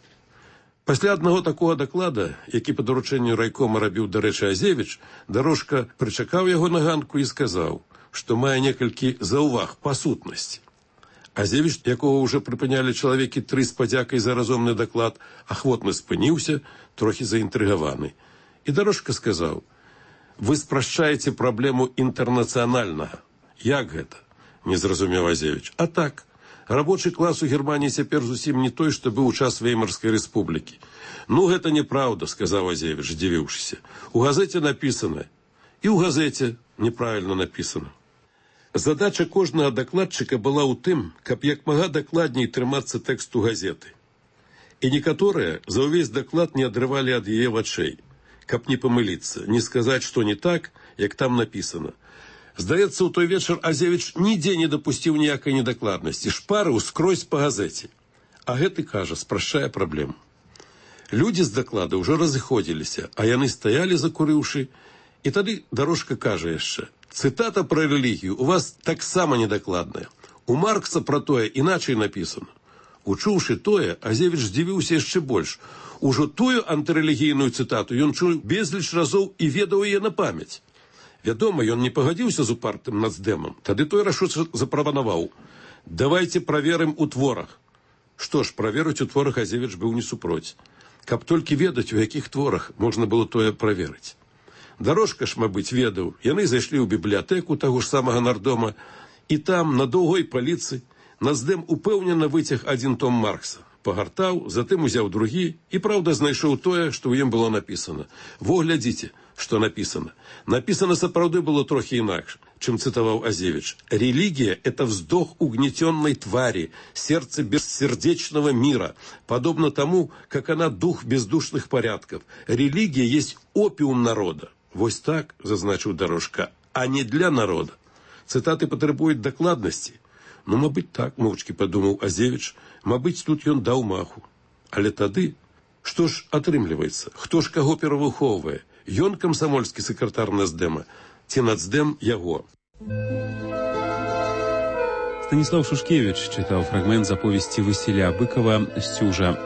Пасля аднаго такога даклада, які па даручэнню райкома рабіў, дарэчы, Азевіч, Дарожка прычакаў яго на ганку і сказаў, што мае некалькі заўваг па сутнасці. Азевіч, якого ўжо прыпынялі чалавекі 3 з падзякай за разумны даклад, ахвотна спыніўся, трохі заінтрыгаваны. І Дарожка сказаў: «Вы спрашчаеце праблему інтэрнацыянальнага». «Як гэта?» – не зразумеў Азевіч. «А так, рабочы клас у Германії цяпер зусім не той, што быў у час Веймарскай рэспублікі». «Ну, гэта неправда», – сказаў Азевіч, здзівіўшыся. «У газеце напісана». «І ў газеце неправільна напісана». Задача кожнага дакладчыка была ў тым, каб як мага дакладней трымацца тэксту газеты. І некаторыя за ўвесь даклад не адрывалі ад яе вачэй, каб не памыліцца, не сказаць, што не так, як там напісана. Здаецца, у той вечар Азевіч нідзе не дапусціў ніякай недакладнасці, шпарыў скрозь па газеце. А гэты, кажа, спрашчае праблему. Людзі з даклада ўжо разыходзіліся, а яны стаялі, закурыўшы, і тады Дарожка кажа яшчэ: «Цытата пра рэлігію у вас таксама недакладная. У Маркса пра тое іначай напісана». Учуўшы тое, Азевіч здзівіўся яшчэ больш. Ужо тую антырэлігійную цытату ён чуў безліч разоў і ведаў яе на памяць. Вядома, ён не пагадзіўся з упартым нацдэмам. Тады той рашуча запрапанаваў: «Давайце праверым у творах». Што ж, праверыць у творах Азевіч быў не супроць. Каб толькі ведаць, у якіх творах можна было тое праверыць. Дарожка ж, мабыць, ведаў. Яны зайшлі ў бібліятэку таго ж самага нардома, і там, на доўгой паліцы, нацдэм упэўнена выцяг 1 том Маркса. Пагартаў, затым узяў другі і, праўда, знайшоў тое, што ў ім было напісана. Во, глядзіце, што напісана. Напісана сапраўды было трохі інакш, чым цытаваў Азевіч. «Религия – это вздох угнетенной твари, сердце бессердечного мира, подобно тому, как она дух бездушных порядков. Религия есть опиум народа». Вось так, зазначыў Дарожка, а не для народа. Цытаты патрабуюць дакладнасці. Ну, мабыць, так, моўчкі падумаў Азевіч, мабыць, тут ён даў маху. Але тады Што ж атрымліваецца? Хто ж каго перавыхоўвае? Ён камсамольскі сакратар Нацдэма ці Нацдэм яго? Станіслав Шушкевіч чытаў фрагмент з аповесці Васіля Быкова «Сцюжа».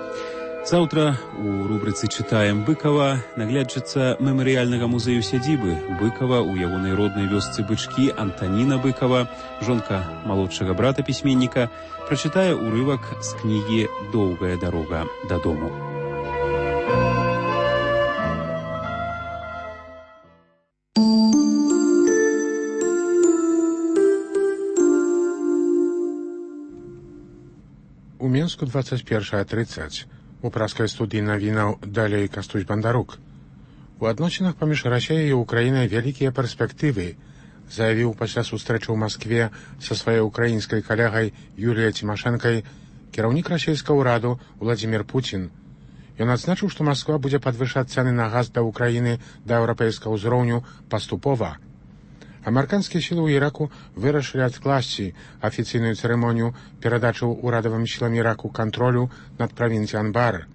Заўтра у рубрыцы «Чытаем Быкова» наглядчыца мемарыяльнага музею сядзібы Быкова ў ягонай роднай вёсцы Бычкі Антаніна Быкова, жонка малодшага брата пісьменніка, прачытае ўрывак з кнігі «Доўгая дарога дадому». У Мінску 21:30. У праскай студыі навінаў далей Кастусь Бандарук. У адносінах паміж Расіяй і Украінай вялікія перспектывы, заявіў пасля сустрэчы ў Маскве са сваёй украінскай калегай Юліяй Цімашэнкай кіраўнік расійскага ўраду Владзімір Пуцін. Ён адзначыў, што Масква будзе падвышаць цэны на газ для Украіны да еўрапейскага ўзроўню паступова. Амерыканскія сілы ў Іраку вырашылі адкласці афіцыйную цырымонію перадачы ўрадавым сілам Іраку кантролю над правінцыяй Анбар.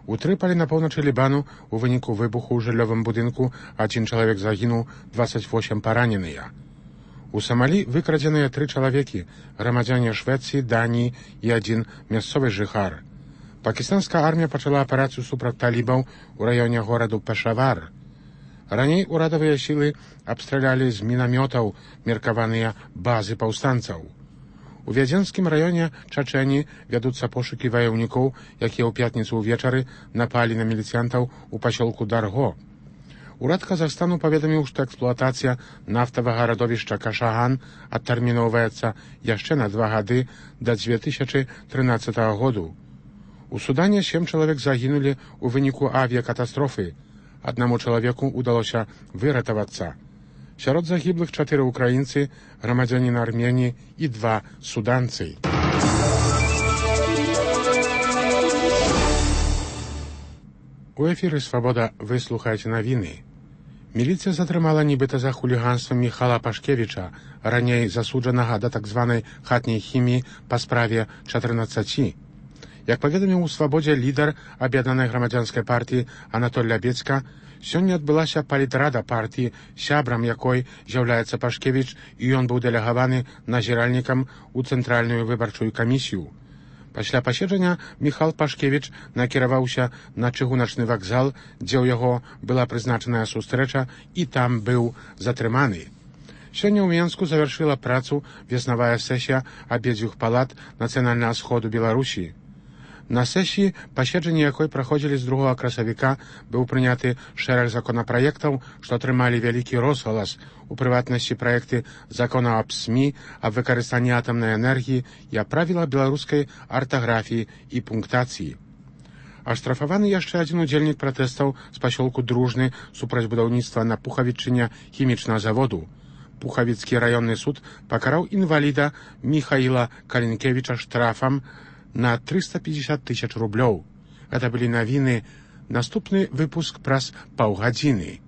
У Трыполі на поўначы Лібану у выніку выбуху ў жыллёвым будынку 1 чалавек загінуў, 28 параненыя. У Самалі выкрадзеныя 3 чалавекі, грамадзяне Швецыі, Даніі і 1 мясцовы жыхар. Пакістанская армія пачала аперацыю супраць талібаў у раёне гораду Пешавар. Раней урадавыя сілы абстралялі з мінамётаў меркаваныя базы паўстанцаў. У Вядзенскім раёне Чачэні вядуцца пошукі ваяўнікоў, якія ў пятніцу ўвечары напалі на міліцыянтаў у пасёлку Дарго. Урад Казахстану паведаміў, што эксплуатацыя нафтавага радовішча Кашаган адтэрміноўваецца яшчэ на 2 гады да 2013 году. У Судане 7 чалавек загінулі ў выніку авіякатастрофы. Аднаму чалавеку ўдалося выратавацца. Сярод загіблых 4 украінцы, грамадзянін Арменіі і 2 суданцы. У эфіры «Свабода» вы слухаеце навіны. Міліцыя затрымала нібыта за хуліганства Міхала Пашкевіча, раней засуджанага да так званай хатняй хіміі па справе 14. Як паведаміў у «Свабодзе» лідар аб'яднанай грамадзянскай партыі Анатоль Лябецька, сёння адбылася палітрада партыі, сябрам якой з'яўляецца Пашкевіч, і ён быў дэлегаваны назіральнікам у Цэнтральную выбарчую камісію. Пасля паседжання Міхал Пашкевіч накіраваўся на чыгуначны вакзал, дзе ў яго была прызначаная сустрэча, і там быў затрыманы. Сёння ў Мінску завяршыла працу веснавая сесія абедзвюх палат Нацыянальнага сходу Беларусі. На сесіі, паседжанні якой праходзілі з 2 красавіка, быў прыняты шэраг законапраектаў, што атрымалі вялікі розгалас, у прыватнасці праекты закона аб СМІ, аб выкарыстанні атамнай энергіі і аб правілах беларускай артаграфіі і пунктацыі. Аштрафаваны яшчэ 1 удзельнік пратэстаў з пасёлку Дружны супраць будаўніцтва на Пухавічыне хімічнага заводу. Пухавіцкі раённы суд пакараў інваліда Міхаіла Калінкевіча штрафам на 350 000 рублёў. Гэта былі навіны. Наступны выпуск праз паўгадзіны.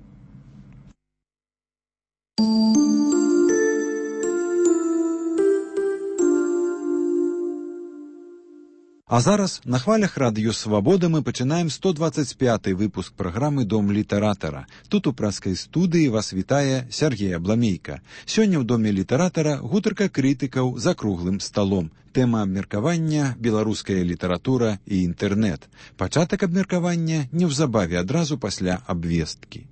А зараз на хвалях радыё «Свабода» мы пачынаем 125-й выпуск праграмы «Дом літаратара». Тут у праскай студыі вас вітае Сергей Абламейка. Сёння ў Доме літаратара гутарка крытыкаў за круглым сталом. Тэма абмеркавання «Беларуская літаратура і інтэрнэт». Пачатак абмеркавання неўзабаве адразу пасля абвесткі.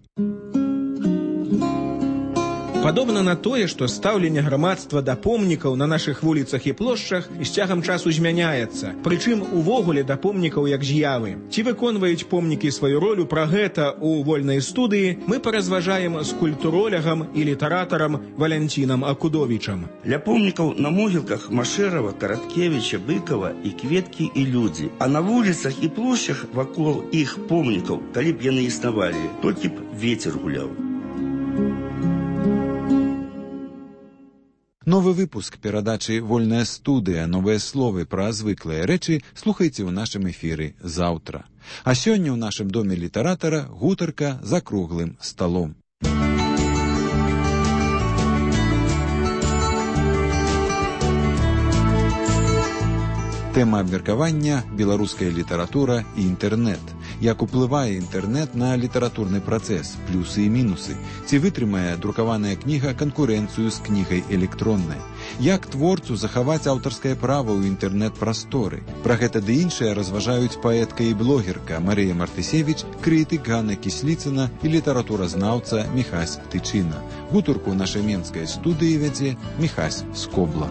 Падобна на тое, што стаўленне грамадства да помнікаў на нашых вуліцах і плошчах з цягам часу змяняецца. Прычым увогуле да помнікаў як з'явы. Ці выконваюць помнікі сваю ролю, пра гэта у вольнай студыі мы паразважаем з культуролягам і літаратарам Валянцінам Акудовічам. Ля помнікаў на могілках Машэрава, Караткевіча, Быкова і кветкі і людзі. А на вуліцах і плошчах вакол іх помнікаў, калі б яны існавалі, толькі б вецер гуляў. Новы выпуск перадачы «Вольная студыя. Новыя словы пра звыклыя рэчы» слухайце ў нашым эфіры заўтра. А сёння ў нашым Доме літаратара гутарка за круглым сталом. Тэма абмеркавання «Беларуская літаратура і інтэрнэт». Як уплывае інтэрнэт на літаратурны працэс, плюсы і мінусы? Ці вытрымае друкаваная кніга канкурэнцыю з кнігай электроннай? Як творцу захаваць аўтарскае права ў інтэрнэт-прасторы? Пра гэта ды іншае разважаюць паэтка і блогерка Марыя Мартысевіч, крытык Ганна Кісліцына і літаратуразнаўца Міхась Тычына. Гутарку ў нашай менскай студыі вядзе Міхась Скобла.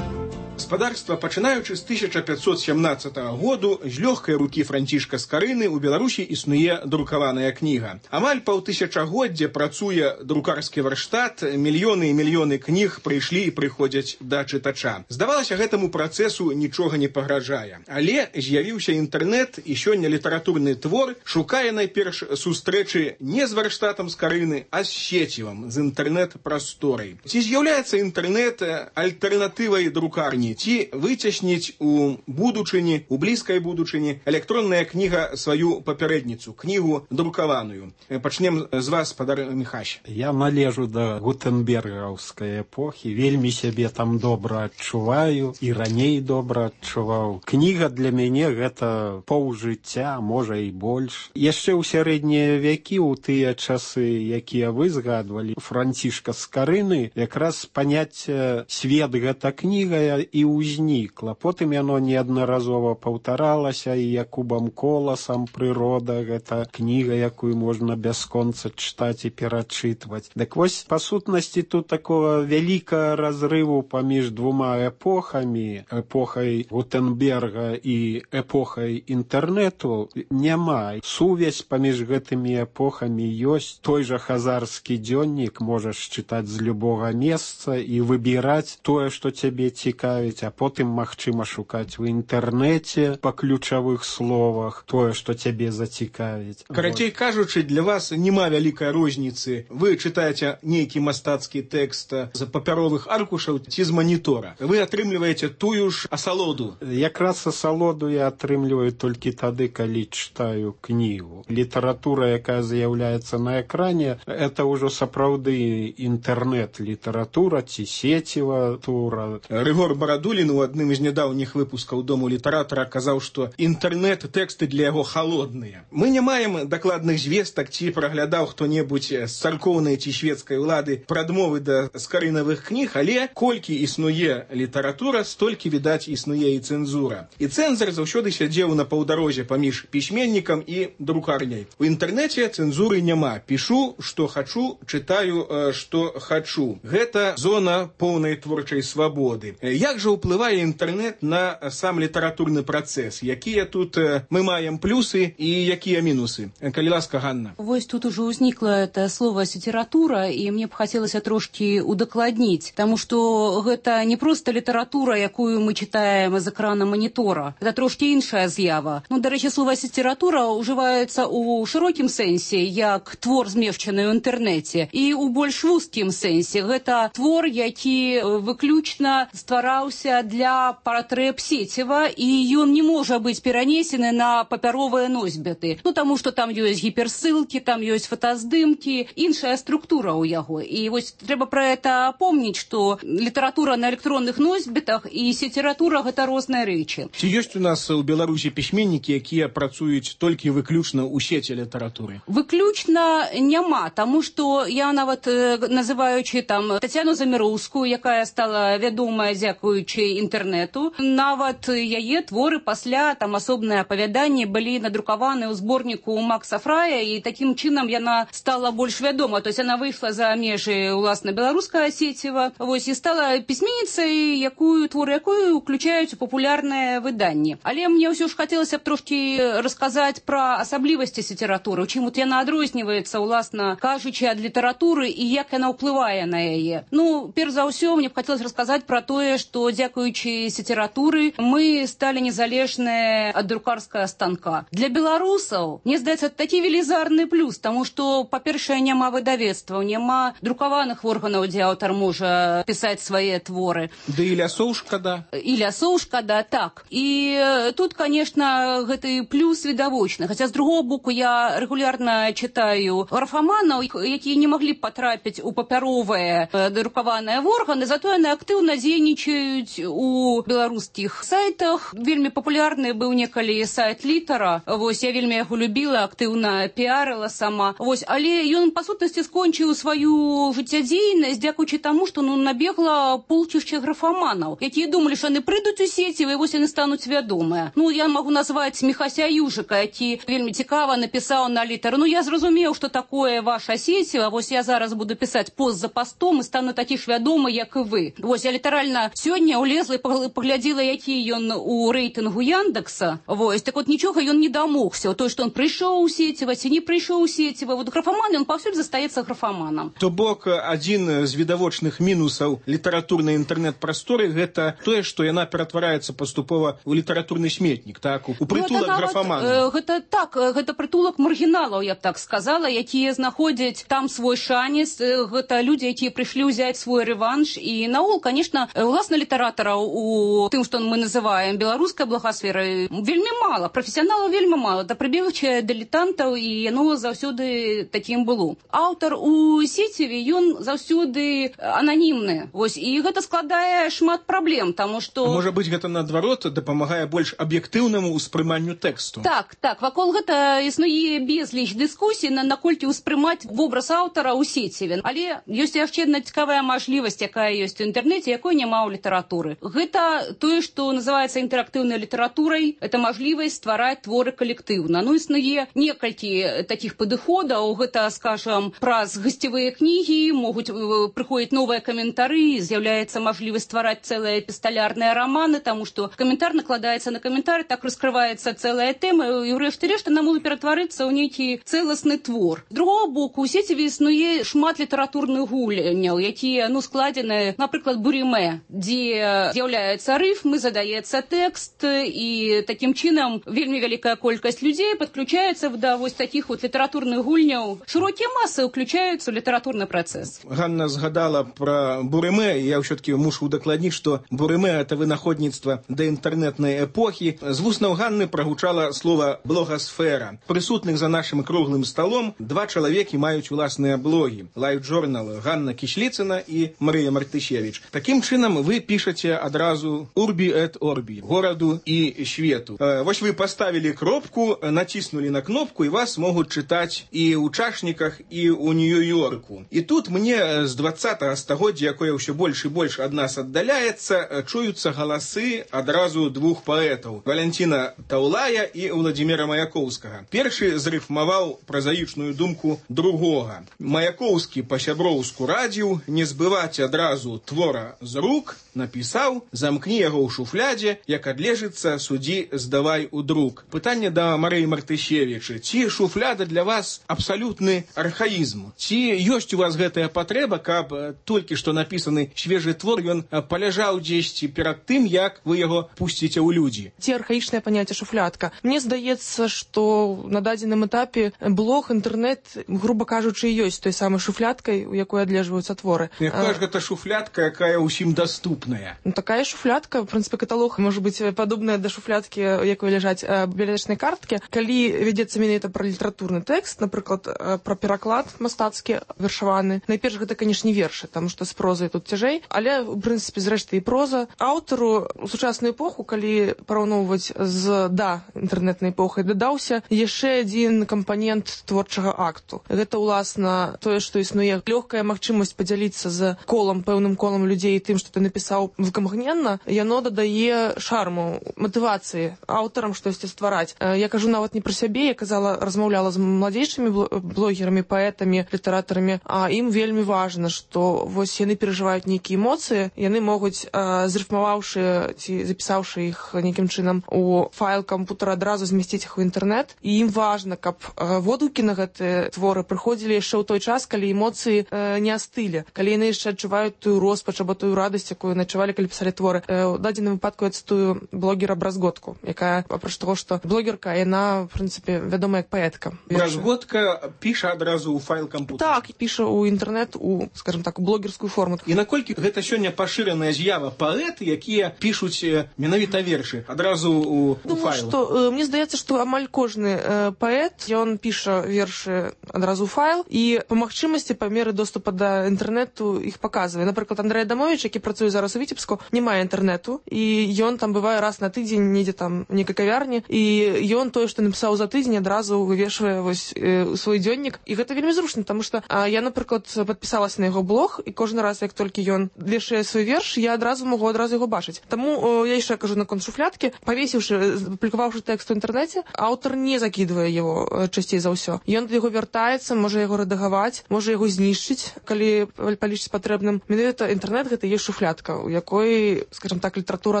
Гаспадарства, пачынаючы з 1517 году, з лёгкай рукі Францішка Скарыны ў Беларусі існуе друкаваная кніга. Амаль паўтысячагоддзя працуе друкарскі варштат, мільёны і мільёны кніг прыйшлі і прыходзяць да чытача. Здавалася, гэтаму працэсу нічога не пагражае. Але з'явіўся інтэрнэт, і сёння літаратурны твор шукае найперш сустрэчы не з варштатам Скарыны, а з сецівам, з інтэрнэт-прасторай. Ці з'яўляецца інтэрнэт альтэрнатывай друкарні? Ці выцесніць у будучыні, у блізкай будучыні электронная кніга сваю папярэдніцу, кнігу друкаваную. Пачнем з вас, спадар Міхась. Я належу да гутенбергаўскай эпохі, вельмі сябе там добра адчуваю і раней добра адчуваў. Кніга для мяне гэта паўжыцця, можа і больш. Яшчэ ў сярэднія вякі, у тыя часы, якія вы згадвалі, Францішка Скарыны, якраз паняцце свет гэта кніга і ўзнікла. Потым яно неаднаразова паўтаралася і Якубам Коласам «Прырода» — гэта кніга, якую можна бясконца чытаць і перачытваць. Дык вось, па сутнасці, тут такого вялікага разрыву паміж двума эпохамі, эпохай Гутенберга і эпохай інтэрнэту, няма. Сувязь паміж гэтымі эпохамі ёсць. Той жа хазарскі дзённік можаш чытаць з любога месца і выбіраць тое, што цябе цікавіць, а потым магчыма шукаць у інтэрнэце па ключавых словах тое, што цябе зацікавіць. Карацей кажучы, для вас няма вялікай розніцы. Вы чытаеце нейкі мастацкі тэкст з папяровых аркушаў ці з манітора. Вы атрымліваеце тую ж асалоду. Якраз асалоду я атрымліваю толькі тады, калі чытаю кнігу. Літаратура, якая з'яўляецца на экране, это ўжо сапраўды інтэрнэт-літаратура ці сеціва тура. Рыгор Барадулін у адным з нядаўніх выпускаў Дому літаратара казаў, што інтэрнэт-тэксты для яго халодныя. Мы не маем дакладных звестак, ці праглядаў хто-небудзь з царкоўнай ці шведскай улады прадмовы да скарынавых кніг, але колькі існуе літаратура, столькі, відаць, існуе і цэнзура. І цэнзар заўсёды сядзеў на паўдарозе паміж пісьменнікам і друкарняй. У інтэрнэце цэнзуры няма. Пішу, што хачу, чытаю, што хачу. Гэта зона поўнай творчай свабоды. Як жа ўплывае інтэрнэт на сам літаратурны працэс? Якія тут мы маем плюсы і якія мінусы? Калі ласка, Ганна. Вось тут уже ўзнікла это слово «література», і мне б хацелася трошки удакладніць, таму што гэта не проста літаратура, якую мы чытаем з экрана манітора. Гэта трошки іншая з'ява. Ну, дарэчы, слово «література» ўжываецца ў шырокім сэнсе, як твор, змешчаны ў інтэрнэце, і ў больш вузкім сэнсе. Гэта твор, які выключна ствараўся для патрэб сеціва, і ён не можа быць перанесены на папяровыя носьбіты. Ну, таму што там ёсць гіперссылкі, там ёсць фотаздымкі, іншая структура ў яго. І вось трэба пра гэта помніць, што літаратура на электронных носьбітах і сеціратура — гэта розныя рэчы. Ці ёсць у нас у Беларусі пісьменнікі, якія працуюць толькі выключна ў сеці літаратуры? Выключна няма, таму што я нават, называючы там Тацяну Заміроўскую, якая стала вядомая дзякуючы інтэрнэту, нават яе творы пасля там асобныя апавяданні былі надрукаваны ў зборніку Макса Фрая, і такім чынам яна стала больш вядома. То есть она выйшла за межы уласна беларускага сеціва, вось, і стала пісьменніцай, творы якую уключаюць у папулярныя выданні. Але мне ўсё ж хацелася б трошки расказаць пра асаблівасці літаратуры, чым вот яна адрозніваецца, уласна кажучы, ад літаратуры і як яна ўплывае на яе. Ну, перш за ўсё, мне б хацелася расказаць пра тое, што дзякуючы літаратуры мы сталі незалежныя ад друкарскага станка. Для беларусаў, мне здаецца, такі велізарны плюс, таму што, па-першае, няма выдавецтваў, няма друкаваных органаў, дзе аўтар можа пісаць свае творы. Да і лясоў шкада. І лясоў шкада, так. І тут, конечно, гэты плюс відавочны. Хаця, з другого боку, я рэгулярна чытаю графаманаў, якія не маглі б патрапіць у папяровыя друкаваныя органы, зато яны актыўна дзейнічаюць пішуць у беларускіх сайтах. Вельмі папулярны быў некалі сайт Літара. Вось, я вельмі яго любіла, актыўна піарыла сама. Вось, але ён, па сутнасці, скончыў сваю жыццядзейнасць, дзякуючы таму, што набегла полчышча графаманаў, якія думалі, што яны прыйдуць у сеціва, і вось яны стануць вядомыя. Я магу назваць Міхася Южыка, які вельмі цікава напісаў на Літар. Я зразумеў, што такое ваша сеціва, вось я зараз буду пісаць пост за постом і стану такі ж вядомы, як і вы. Вось, я літаральна сёння ўлезла і паглядзела, які ён у рэйтынгу Яндекса. Вось, так вот нічога ён не дамогся. Той, што он прыйшоў у сеціва, ці не прыйшоў у сеціва. Вот графаман, ён паўсюль застаецца графаманам. То бок, адзін з відавочных мінусаў літаратурнай інтэрнэт-прасторы гэта тое, што яна ператвараецца паступова ў літаратурны сметнік, так, у прытулак графаманаў. Гэта так, гэта прытулак маргіналаў, я б так сказала, якія знаходзяць там свой шанец. Гэта людзі, якія прыйшлі ўзяць свой рэванш. І наогул, конечно, уласна літаратараў у тым, што мы называем беларускай благасферай, вельмі мала, прафесіяналаў вельмі мала, да прыбегчае дылетантаў, і яно заўсёды такім было. Аўтар у сеціве, ён заўсёды ананімны. Вось, і гэта складае шмат праблем, таму што... Можа быць, гэта наадварот дапамагае больш аб'ектыўнаму ўспрыманню тэксту. Так, вакол гэта існуе безліч дыскусій, наколькі ўспрымаць вобраз аўтара ў сеціве. Але ёсць яшчэ адна цікавая мажлівасць, якая ёсць у інтэрнэце, якой няма ў літаратуры. Гэта тое, што называецца інтэрактыўнай літаратурай, это мажлівасць ствараць творы калектыўна. Існуе некалькі такіх падыходаў, гэта, скажам, праз гасцевыя кнігі, могуць прыходзіць новыя каментары, з'яўляецца мажлівасць ствараць цэлыя эпісталярныя раманы, таму што каментар накладаецца на каментар, так раскрываецца цэлая тэма, і ўрэшце рэшт яна можа ператварыцца ў нейкі цэласны твор. З другого боку, у сеціве існуе шмат літаратурных гульняў, якія, складзены, напрыклад, бурімэ, дзе з'яўляецца рыфмы, задаецца тэкст, і такім чынам вельмі вялікая колькасць людзей падключаецца да вось такіх вот літаратурных гульняў. Шырокія масы ўключаюцца ў літаратурны працэс. Ганна згадала пра бурымэ, я ўсё-таки мушу удакладніць, што бурымэ — это вынаходніцтва да інтэрнэтнай эпохі. З вуснаў Ганны прагучала слова «блогасфера». Прысутных за нашым круглым сталом два чалавекі маюць уласныя блогі. Лайф-журнал Ганна Кішліцына і Марыя Мартышевіч. Такім чынам вы пішаце адразу «Урбі эт Орбі» — гораду і свету. Вось вы паставілі кропку, націснулі на кнопку, і вас могуць чытаць і ў чашніках, і ў Нью-Йорку. І тут мне з 20-го стагоддзя, якое ўсё больш і больш ад нас аддаляецца, чуюцца галасы адразу двух паэтаў — Валянціна Таўлая і Владзіміра Маяковскага. Першы зрыфмаваў празаічную думку другога. Маяковскі па-сяброўску радзіў не збываць адразу твора з рук, напісаў: замкні яго ў шуфлядзе, як адлежыцца, судзі здавай у друк. Пытанне да Марыі Мартышевічы: ці шуфляда для вас абсалютны архаізм? Ці ёсць у вас гэтая патрэба, каб толькі што напісаны свежы твор ён паляжаў дзесьці перад тым, як вы яго пусціце ў людзі? Ці архаічнае паняцце шуфлядка? Мне здаецца, што на дадзеным этапе блог, інтэрнэт, груба кажучы, ёсць той самай шуфлядкай, у якой адлежваюцца творы. Якая ж гэта шуфлядка, якая ўсім даступная? Такая шуфлядка, в прынцыпе, каталог можа быць падобная да шуфлядкі, якой ляжаць бібліятэчнай карткі. Калі вядзецца менавіта пра літаратурны тэкст, напрыклад, пра пераклад мастацкі, вершаваны, найперш гэта, канешне, вершы, таму што з прозай тут цяжэй, але, у прынцыпе, зрэшты, і проза. Аўтару у сучасную эпоху, калі параўноўваць з інтэрнэтнай эпохай, дадаўся яшчэ адзін кампанент творчага акту. Гэта, уласна, тое, што існуе лёгкая магчымасць падзяліцца з колам, пэўным колам людзей тым, што ты напісаў выкамгненна, яно дадае шарму, матывацыі аўтарам штосьці ствараць. Я кажу нават не пра сябе, я размаўляла з младзейшымі блогерамі, паэтамі, літаратарамі, а ім вельмі важна, што вось яны перажываюць нейкія эмоцыі, яны могуць, зрыфмаваўшы ці запісаўшы іх нейкім чынам у файл кампутара, адразу змясціць іх у інтэрнэт, і ім важна, каб водгукі на гэтыя творы прыходзілі яшчэ ў той час, калі эмоцыі не астылі, калі яны яшчэ адчуваюць тую роспач або тую радасць, якую адчувалі, калі пісалі творы. У дадзеным выпадку я цытую блогера Бразготку, якая, апроч таго, што блогерка, яна, в прынцыпе, вядомая як паэтка. Бразготка піша адразу ў файл кампутара? Так, піша ў інтэрнэт, скажем так, у блогерскую форму. І наколькі гэта сёння пашыраная з'ява паэты, якія пішуць менавіта вершы адразу ў файл? Мне здаецца, што амаль кожны паэт, ён піша вершы адразу ў файл, і па магчымасці, па меры доступа да інтэрнэту іх паказвае. Напрыклад, Андрэй Адамовіч, які працуе зараз у Віцебску, Віцебску няма інтэрнэту, і ён там бывае раз на тыдзень недзе там некай кавярні, і ён тое, што напісаў за тыдзень, адразу вывешвае вось свой дзённік. І гэта вельмі зручна, таму што я, напрыклад, падпісалася на яго блог, і кожны раз, як толькі ён вешае свой верш, я адразу магу яго бачыць. Таму я яшчэ кажу наконт шуфлядкі, павесіўшы, апублікаваўшы тэкст у інтэрнэце, аўтар не закідвае яго часцей за ўсё. Ён да яго вяртаецца, можа яго рэдагаваць, можа яго знішчыць, калі палічыць патрэбным. Менавіта інтэрнэт гэта ёсць шуфлядка, у якой, скажем так, літаратура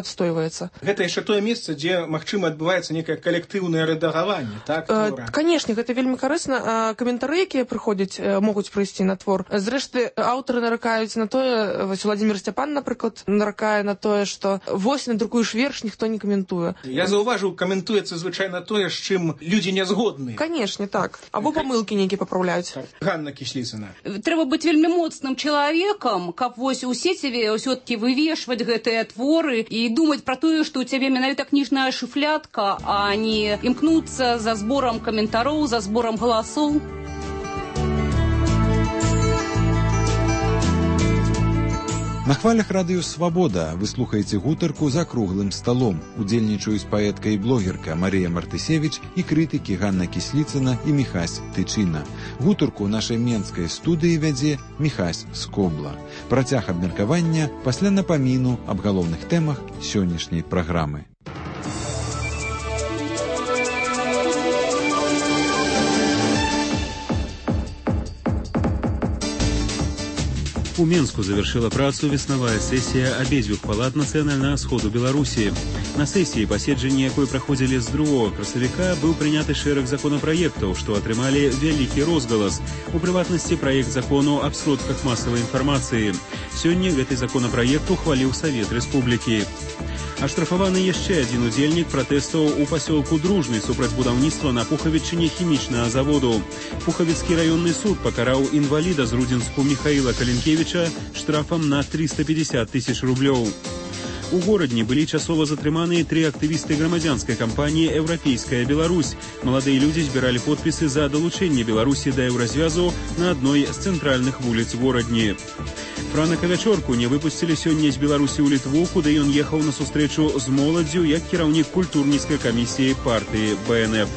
адстойваецца. Гэта яшчэ тое месца, дзе, магчыма, адбываецца некае калектыўнае рэдагаванне, так? Канешне, гэта вельмі карысна. Каментары, якія прыходзяць, могуць прыйсці на твор. Зрэшты, аўтары наракаюць на тое, вось Владзімір Сцяпан, напрыклад, наракае на тое, што вось надрукуеш верш, ніхто не каментуе. Я заўважыў, каментуецца звычайна тое, з чым людзі не згодны. Канешне, так. Або памылкі нейкія папраўляюць. Ганна Кісліцына. Трэба быць вельмі моцным чалавекам, каб вось у сеціве ўсё-такі вывешваць гэтыя творы і думаць пра тое, што ў цябе менавіта кніжная шуфлядка, а не імкнуцца за зборам каментароў, за зборам галасоў. На хвалях радыё «Свабода» вы слухаеце гутарку за круглым сталом. Удзельнічаюць паэтка і блогерка Марія Мартысевіч і крытыкі Ганна Кісліцына і Міхась Тычына. Гутарку ў нашай менскай студыі вядзе Міхась Скобла. Працяг абмеркавання пасля напаміну аб галоўных тэмах сённяшняй праграмы. У Менску завершила працу веснавая сессия обезвюх палат Нацыянальнага сходу Беларусі. На сессии, паседжанні якой праходзілі з 2 красавіка, быў прыняты шэраг законапраектаў, што атрымалі вялікі розгалас. У прыватнасці, праект закону аб сродках масавай інфармацыі. Сёння гэты законапраект ухваліў Савет Рэспублікі. Аштрафаваны яшчэ адзін удзельнік пратэстаў у пасёлку Дружны супраць будаўніцтва на Пухавічыне хімічнага заводу. Пухавіцкі раённы суд пакараў інваліда з Рудзінску Міхаіла Калінкевіча штрафам на 350 000 рублёў. У горадні былі часова затрыманыя 3 актывісты грамадзянскай кампаніі «Еўрапейская Беларусь». Маладыя людзі збіралі подпісы за далучэнне Беларусі да еўразвязу на адной з цэнтральных вуліц горадні. Франака Вячорку не выпусцілі сёння з Беларусі ў Літву, куды ён ехаў на сустрэчу з моладдзю як кіраўнік культурніцкай камісіі партыі БНФ.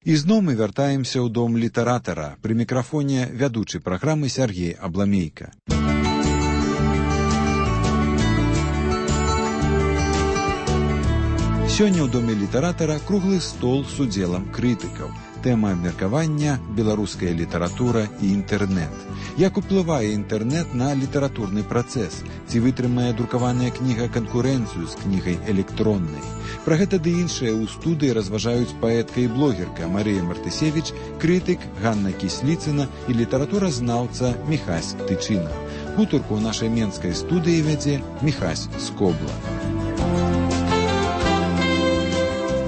І зноў мы вяртаемся ў дом літаратара. Пры мікрафоне вядучы праграмы Сяргей Абламейка. Сёння ў доме літаратара круглы стол з удзелам крытыкаў. Тэма абмеркавання – беларуская літаратура і інтэрнэт. Як уплывае інтэрнэт на літаратурны працэс? Ці вытрымае друкаваная кніга канкурэнцыю з кнігай электроннай? Пра гэта ды іншае ў студыі разважаюць паэтка і блогерка Марія Мартысевіч, крытык Ганна Кісліцына і літаратуразнаўца Міхась Тычына. Гутарку ў нашай менскай студыі вядзе Міхась Скобла.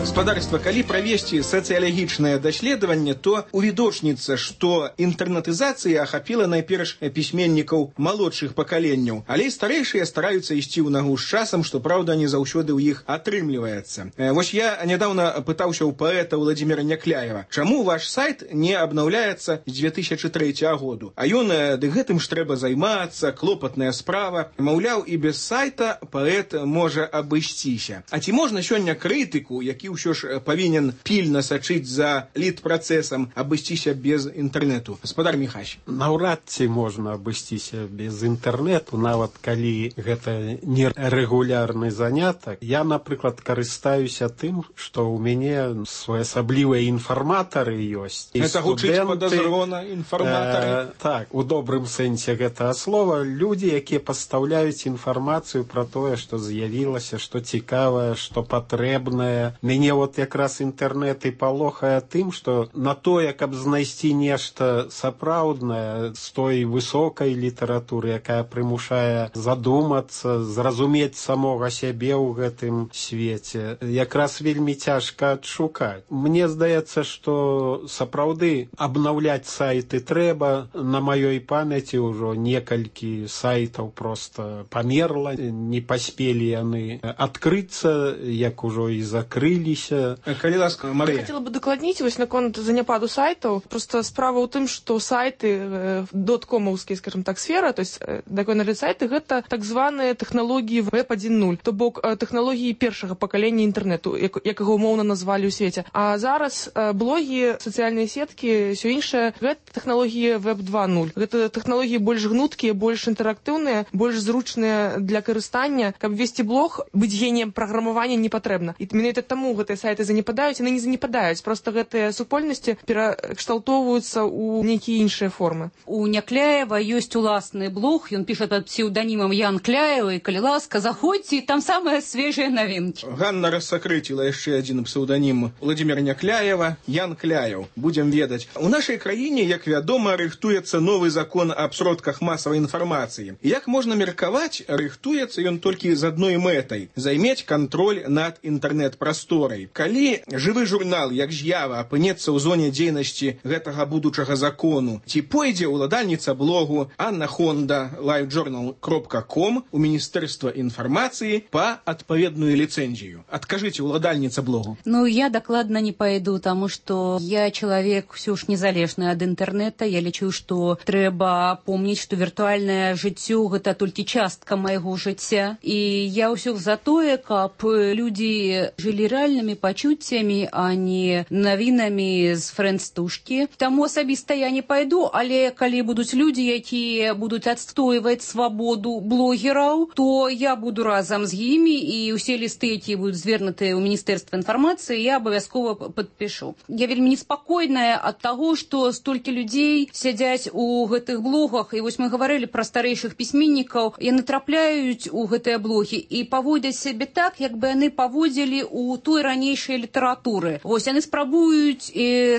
Гаспадарства, калі правесці сацыялагічнае даследаванне, то увідочніцца, што інтэрнатызацыя ахапіла найперш пісьменнікаў малодшых пакаленняў, але старэйшыя стараюцца ісці ў нагу з часам, што, праўда, не заўсёды ў іх атрымліваецца. Вось я нядаўна пытаўся ў паэта Владзіміра Някляева, чаму ваш сайт не абнаўляецца з 2003 году? А ён, ды гэтым ж трэба займацца, клопатная справа. Маўляў, і без сайта паэт можа абысціся. А ці можна сёння крытыку, які ўсё ж павінен пільна сачыць за літпрацэсам, абысціся без інтэрнэту? Гаспадар Міхась. Наўрад ці можна абысціся без інтэрнэту, нават калі гэта не рэгулярны занятак. Я, напрыклад, карыстаюся тым, што ў мяне своеасаблівыя інфарматары ёсць. Гэта гучыць падазрона, інфарматары? Так, у добрым сэнсе гэтага слова. Людзі, якія пастаўляюць інфармацыю пра тое, што з'явілася, што цікавае, што патрэбнае. Мяне вот якраз інтэрнэт і палохае тым, што на тое, каб знайсці нешта сапраўднае з той высокай літаратуры, якая прымушае задумацца, зразумець самога сябе ў гэтым свеце, якраз вельмі цяжка адшукаць. Мне здаецца, што сапраўды абнаўляць сайты трэба. На маёй памяці ўжо некалькі сайтаў проста памерла, не паспелі яны адкрыцца, як ужо і закрыліся. змяніліся. Калі ласка, Марыя. Хотела бы дакладніць вось наконт заняпаду сайтаў. Просто справа ў тым, што сайты доткомаўскія, скажем так, сфера, то есть дакональныя сайты гэта так званыя тэхналогіі веб 1.0, то бок тэхналогіі першага пакалення інтэрнету, як яго умоўна назвалі ў свеце. А зараз блогі, сацыяльныя сеткі, ўсё іншае, гэта тэхналогіі веб 2.0. Гэта тэхналогіі больш гнуткія, больш інтэрактыўныя, больш зручныя для карыстання. Каб весці блог, быць геніем праграмавання не патрэбна. І менавіта таму гэтыя сайты занепадаюць, яны не занепадаюць, просто гэтыя супольнасці перакшталтоўваюцца ў нейкія іншыя формы. У Някляева ёсць уласны блог, ён піша пад псеўданімам Ян Кляева, і калі ласка, заходзьце, там самыя свежыя навінкі. Ганна рассакрыціла яшчэ адзін псеўданім Владзіміра Някляева, Ян Кляев. Будзем ведаць. У нашай краіне, як вядома, рыхтуецца новы закон аб сродках масавай інфармацыі. Як можна меркаваць, рыхтуецца ён толькі з адной мэтай – займець кантроль над інтэрнэт-прасторай. Калі жывы журнал, як «З'ява», апынецца ў зоне дзейнасці гэтага будучага закону, ці пойдзе ўладальніца блогу Анна Хонда livejournal.com у Міністэрства інфармацыі па адпаведную ліцэнзію? Адкажыце, ўладальніца блогу. Ну, я дакладна не пойду, таму што я чалавек ўсё ж незалежны ад інтэрнэта. Я лічу, што трэба помніць, што віртуальнае жыццё гэта толькі частка майго жыцця. І я ўсё за тое, каб людзі жылі рэальнымі пачуццямі, а не навінамі з фрэндстушкі. Таму асабіста я не пайду, але калі будуць людзі, якія будуць адстойваць свабоду блогераў, то я буду разам з імі, і ўсе лісты, якія будуць звернутыя ў Міністэрства інфармацыі, я абавязкова падпішу. Я вельмі неспакойная ад таго, што столькі людзей сядзяць у гэтых блогах, і вось мы гаварылі пра старэйшых пісьменнікаў, яны трапляюць у гэтыя блогі і паводзяць сябе так, як бы яны паводзілі ў той ранейшай літаратуры. Вось яны спрабуюць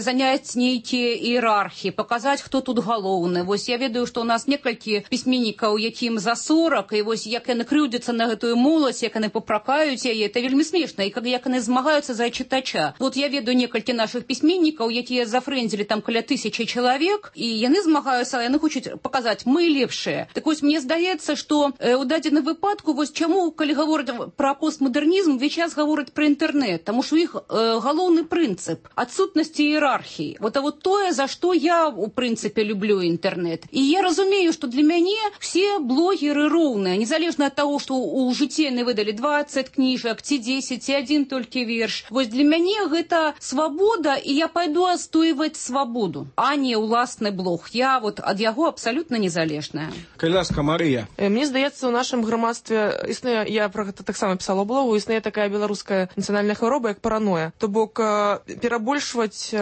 заняць нейкія іерархіі, паказаць, хто тут галоўны. Вось я ведаю, што ў нас некалькі пісьменнікаў, якім за 40, і вось як яны крыўдзяцца на гэтую моладзь, як яны папракаюць яе, это вельмі смешна, і як яны змагаюцца за чытача. Вот я ведаю некалькі нашых пісьменнікаў, якія зафрэндзілі там каля 1000 чалавек, і яны змагаюцца, яны хочуць паказаць, мы лепшыя. Так вось мне здаецца, што ў дадзеным выпадку, вось чаму, калі гавораць пра постмадэрнізм, увесь час гавораць пра інтэрнэт, таму што іх галоўны прынцып адсутнасці іерархіі. Вот тое, за што я, у прынцыпе, люблю інтэрнэт. І я разумею, што для мяне все блогеры роўныя, незалежна ад таго, што ў жыцці яны выдалі 20 кніжак, ці 10, ці адзін толькі верш. Вось для мяне гэта свабода, і я пайду адстойваць свабоду, а не ўласны блог. Я вот ад яго абсалютна незалежная. Калі ласка, Марыя. Мне здаецца, у нашым грамадстве існуе, я про гэта таксама пісала ў блогу, існуе такая беларуская нацыянальная хвароба, як параноя. То бок перабольшваць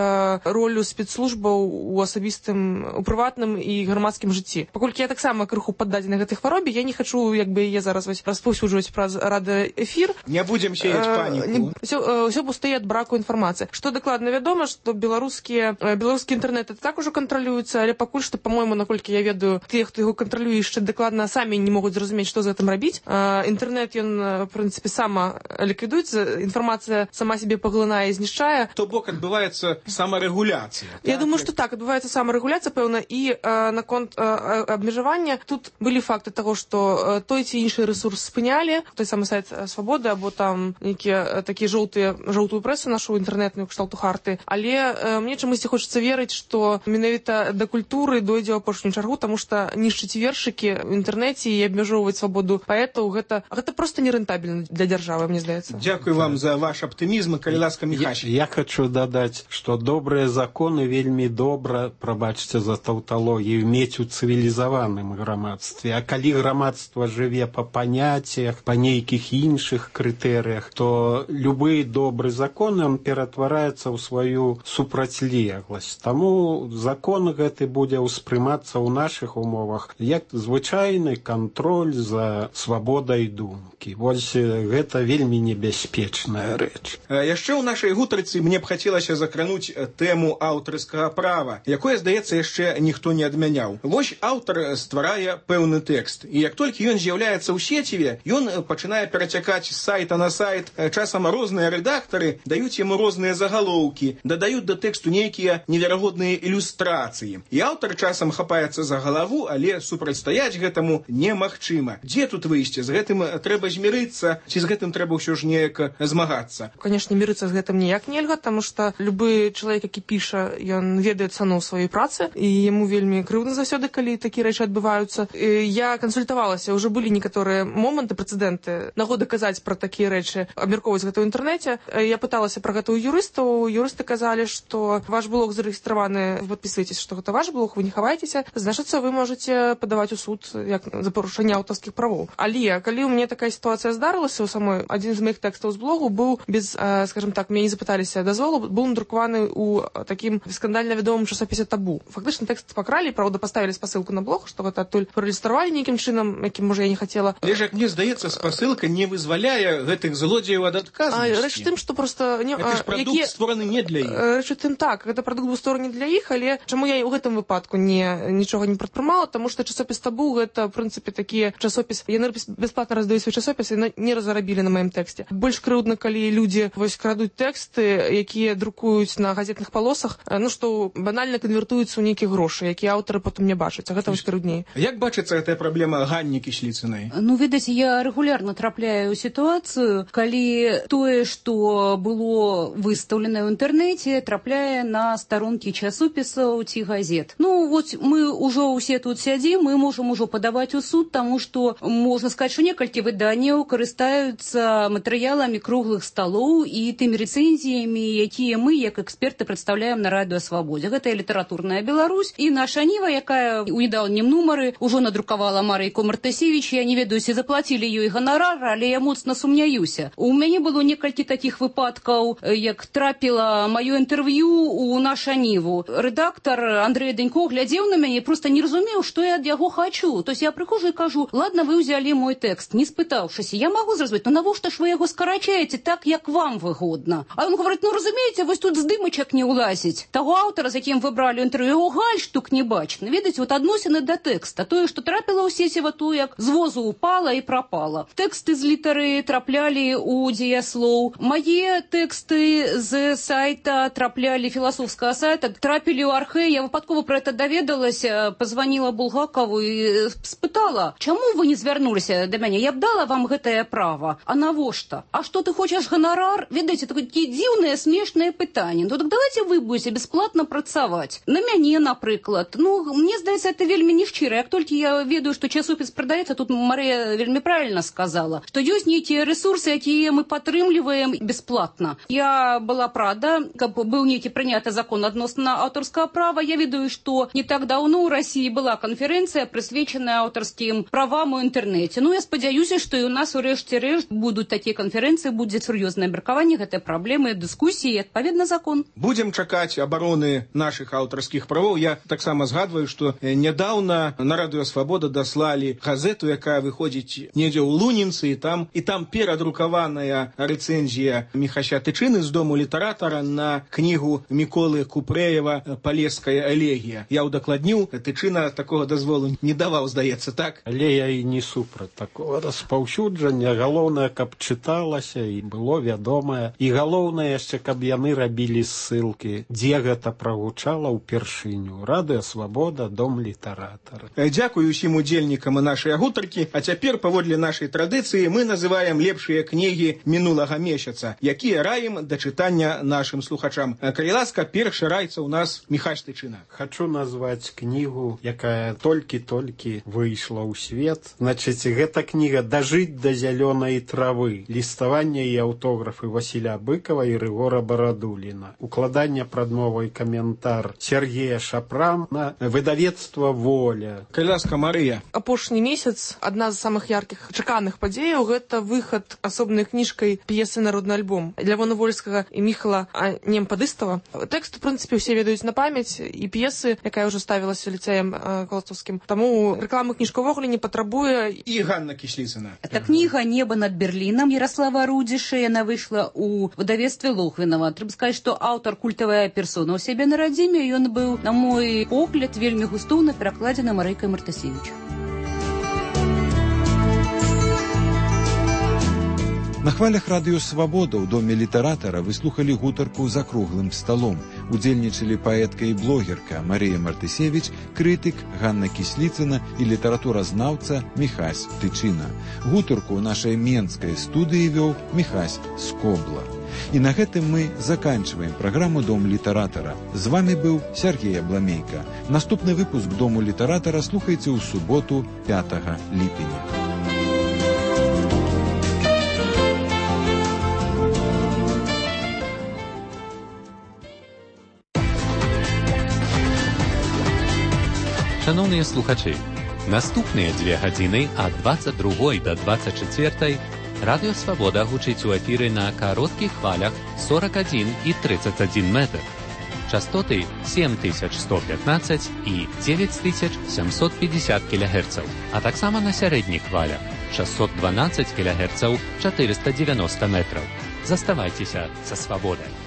ролю спецслужбаў у асабістым, у прыватным і грамадскім жыцці. Паколькі я таксама крыху паддадзена гэтай хваробе, я не хачу, як бы яе зараз распаўсюджваць праз радыёэфір. Не будзем сеяць паніку. Усё пустые ад браку інфармацыі. Што дакладна вядома, што беларускі інтэрнэт это так ужо кантралюецца, але пакуль што, па-мойму, наколькі я ведаю, тыя, хто яго кантралюе, яшчэ дакладна самі не могуць зразумець, што з гэтым рабіць. Інтэрнэт, ён, в прынцыпе, сама ліквідуецца, інфармацыя сама сябе паглынае і знішчае. То бок адбываецца самарэгуляцыя. Я думаю, што так, адбываецца самарэгуляцыя, пэўна, і наконт абмежавання тут былі факты таго, што той ці іншы рэсурс спынялі, той самы сайт Свабоды, або там нейкія такія жоўтую прэсу нашу інтэрнетную кшталту харты. Але мне чамусьці хочацца верыць, што менавіта да культуры дойдзе ў апошнюю чаргу, таму што нішчыць вершыкі ў інтэрнэце і абмяжоўваць свабоду паэтаў, гэта проста нерэнтабельна для дзяржавы, мне здаецца. Дзякую вам за ваш аптымізм, калі ласка, Міхась. Я хочу дадаць, што добрыя законы вельмі добра, прабачце за таўталогію, мець у цывілізаваным грамадстве. А калі грамадства жыве па паняццях, па нейкіх іншых крытэрыях, то любы добры закон он ператвараецца ў сваю супрацьлегласць. Таму закон гэты будзе ўспрымацца ў нашых умовах як звычайны кантроль за свабодай думкі. Вось гэта вельмі небяспечная рэч. Яшчэ ў нашай гутарцы мне б хацелася закрануць тэму аўтарскага права, якое, здаецца, яшчэ ніхто не адмяняў. Вось аўтар стварае пэўны тэкст, і як толькі ён з'яўляецца ў сеціве, ён пачынае перацякаць з сайта на сайт. Часам розныя рэдактары даюць яму розныя загалоўкі, дадаюць да тэксту нейкія неверагодныя ілюстрацыі. І аўтар часам хапаецца за галаву, але супрацьстаяць гэтаму немагчыма. Дзе тут выйсце? З гэтым трэба змірыцца, ці з гэтым трэба ўсё ж неяк змагацца? мірыцца. Канешне, мірыцца з гэтым ніяк нельга, таму што любы чалавек, які піша, ён ведае цану сваёй працы, і яму вельмі крыўдна заўсёды, калі такія рэчы адбываюцца. Я кансультавалася, ўжо былі некаторыя моманты, прэцэдэнты, нагоды казаць пра такія рэчы, абмяркоўваць гэта ў інтэрнэце. Я пыталася пра гэта ў юрыстаў. Юрысты казалі, што ваш блог зарэгістраваны, вы падпісваецеся, што гэта ваш блог, вы не хаваецеся, значыцца, вы можаце падаваць у суд як за парушэнне аўтарскіх правоў. Але калі ў мяне такая сітуацыя здарылася, у самой адзін з маіх тэкстаў з блогу быў без, скажем так, мяне не запыталіся дазволу, быў надрукаваны ў такім скандальна вядомым часопісе «Табу». Фактычна тэкст пакралі, правда, паставілі спасылку на блог, што гэта адтуль праілюстравалі нейкім чынам, якім, можа, я не хацела. Але ж, як мне здаецца, спасылка не вызваляе гэтых злодзеяў ад адказнасці. Рэч у тым, што проста... Гэта ж прадукт створаны не для іх. Рэч у тым, так, гэта прадукт быў створаны для іх, але чаму я ў гэтым выпадку нічога не прадпрымала, таму што часопіс «Табу» гэта, в прынцыпе, такі часопіс, яны бясплатна раздаюць свой часопіс і не разарабілі на маім тэксце. Больш крыўдна, калі людзі вось крадуць тэксты, якія друкуюць на газетных палосах, ну што банальна канвертуюцца ў нейкія грошы, якія аўтары потым не бачаць, а гэта вось крыўдней. Як бачыцца гэтая праблема Ганні Кісліцынай? Ну, відаць, я рэгулярна трапляю ў сітуацыю, калі тое, што было выстаўлена ў інтэрнэце, трапляе на старонкі часопісаў ці газет. Ну, вот мы ўжо ўсе тут сядзім, мы можам ужо падаваць у суд, таму што можна сказаць, што некалькі выданняў карыстаюцца матэрыяламі круглых сталоў і тымі рэцэнзіямі, якія мы, як эксперты, прадстаўляем на Радыё Свабодзе. Гэта і літаратурная Беларусь, і наша Ніва, якая ў недаўнім нумары ўжо надрукавала Марыйку Мартасевіч. Я не ведаю, ці заплацілі ёй ганарар, але я моцна сумняюся. У мяне было некалькі такіх выпадкаў, як трапіла маё інтэрв'ю ў наша Ніву. Рэдактар Андрэй Данько глядзеў на мяне, проста не разумеў, што я ад яго хачу. То есть я прыхожу і кажу: ладно, вы ўзялі мой тэкст, не спытаўшыся. Я магу зразумець, ну навошта ж вы яго скарачаеце так, як вам выгодна? А ён говорит: ну разумееце, вось тут здымачак не ўлазіць. Таго аўтара, з якім вы бралі інтэрв'ю, гальштук не бачна. Ведаеце, вот адносіны да тэкста. Тое, што трапіла ў сеціва, то як з возу упала і прапала. Тэксты з літары траплялі ў дзеяслоў. Мае тэксты з сайта траплялі, філасофскага сайта, трапілі ў архэ. Я выпадкова пра гэта даведалася, пазваніла Булгакову і спытала: чаму вы не звярнуліся да мяне? Я б дала вам гэтае права. А навошта? А што, ты хочаш ганарар? Ведаеце, такія дзіўныя, смешныя пытанні. Ну так давайте вы будете бесплатно працаваць. На мяне, напрыклад. Ну, мне здаецца, это вельмі нешчыра. Як толькі я ведаю, што часопіс прадаецца, тут Марыя вельмі правильно сказала, што ёсць нейкія рэсурсы, якія мы падтрымліваем бесплатна. Я была рада, каб быў нейкі прыняты закон адносна аўтарскага права. Я ведаю, што не так даўно ў Расіі была канферэнцыя, прысвечаная аўтарскім правам у інтэрнэце. Ну, я спадзяюся, што і у нас у рэшце рэшт будуць такія канферэнцыі, будзе сур'ёзнае абмеркаванне гэтай праблемы, дыскусіі і адпаведна закон. Будзем чакаць абароны нашых аўтарскіх правоў. Я таксама згадваю, што нядаўна на Радыё Свабода даслалі газету, якая выходзіць недзе ў Лунінцы, і там перадрукаваная рэцэнзія Міхася Тычыны з дому літаратара на кнігу Міколы Купрэева «Палеская элегія». Я ўдакладніў, Тычына такога дазволу не даваў, здаецца, так? Але я і не супраць такого распаўсюджання. Галоўнае, каб чыталася і было вядомае. І галоўнае яшчэ, каб яны рабілі ссылкі, дзе гэта прагучала ўпершыню. Радыё Свабода, дом літаратара. Дзякую усім удзельнікам нашай гутаркі. А цяпер, паводле нашай традыцыі, мы называем лепшыя кнігі мінулага месяца, якія раім да чытання нашым слухачам. Калі ласка, першы раіцца ў нас Міхась Тычына. Хачу назваць кнігу, якая толькі-толькі выйшла ў свет. Значыць, гэта кніга «Дажыць да зялёнай травы». Ліставанне і аўтографы Васіля Быкова і Рыгора Барадуліна. Укладанне прадмовы і каментар Сергея Шапрана, выдавецтва «Воля». Калі ласка, Марыя. Апошні месяц адна з самых яркіх чаканых падзеяў — гэта выхад асобнай кніжкай п'есы «Народны альбом» Лявона Вольскага і Міхала Немпадыстава. Тэкст, у прынцыпе, усе ведаюць на памяць, і п'есы, якая ўжо ставілася ліцэем Калатоўскім. Таму рэкламы кніжка ўвогуле не патрабуе. І Ганна Кісліцына. Это кніга «Неба над Берліном» Ярослава Рудзіша. Яна выйшла ў выдавецтве Логвінава. Трэба сказаць, што аўтар культавая персона ў сябе на радзіме. Ён быў, на мой погляд, вельмі густоўна перакладзены Марыйкай Мартасевіч. На хвалях Радыё Свабода ў доме літаратара вы слухалі гутарку «За круглым сталом». Удзельнічалі паэтка і блогерка Марія Мартысевіч, крытык Ганна Кісліцына і літаратуразнаўца Міхась Тычына. Гутарку ў нашай менскай студыі вёў Міхась Скобла. І на гэтым мы заканчиваем праграму «Дом літаратара». З вами быў Сергей Абламейка. Наступны выпуск «Дому літаратара» слухайце ў суботу 5 ліпеня. Шановні слухачі, наступныя 2 гадзіны ад 22 до 24 Радыё Свабода гучыць у эфіры на кароткіх хвалях 41 і 31 метр. Частоты 7115 і 9750 кГц, а таксама на сярэдніх хвалях 612 кГц 490 метраў. Заставайцеся са свабодай.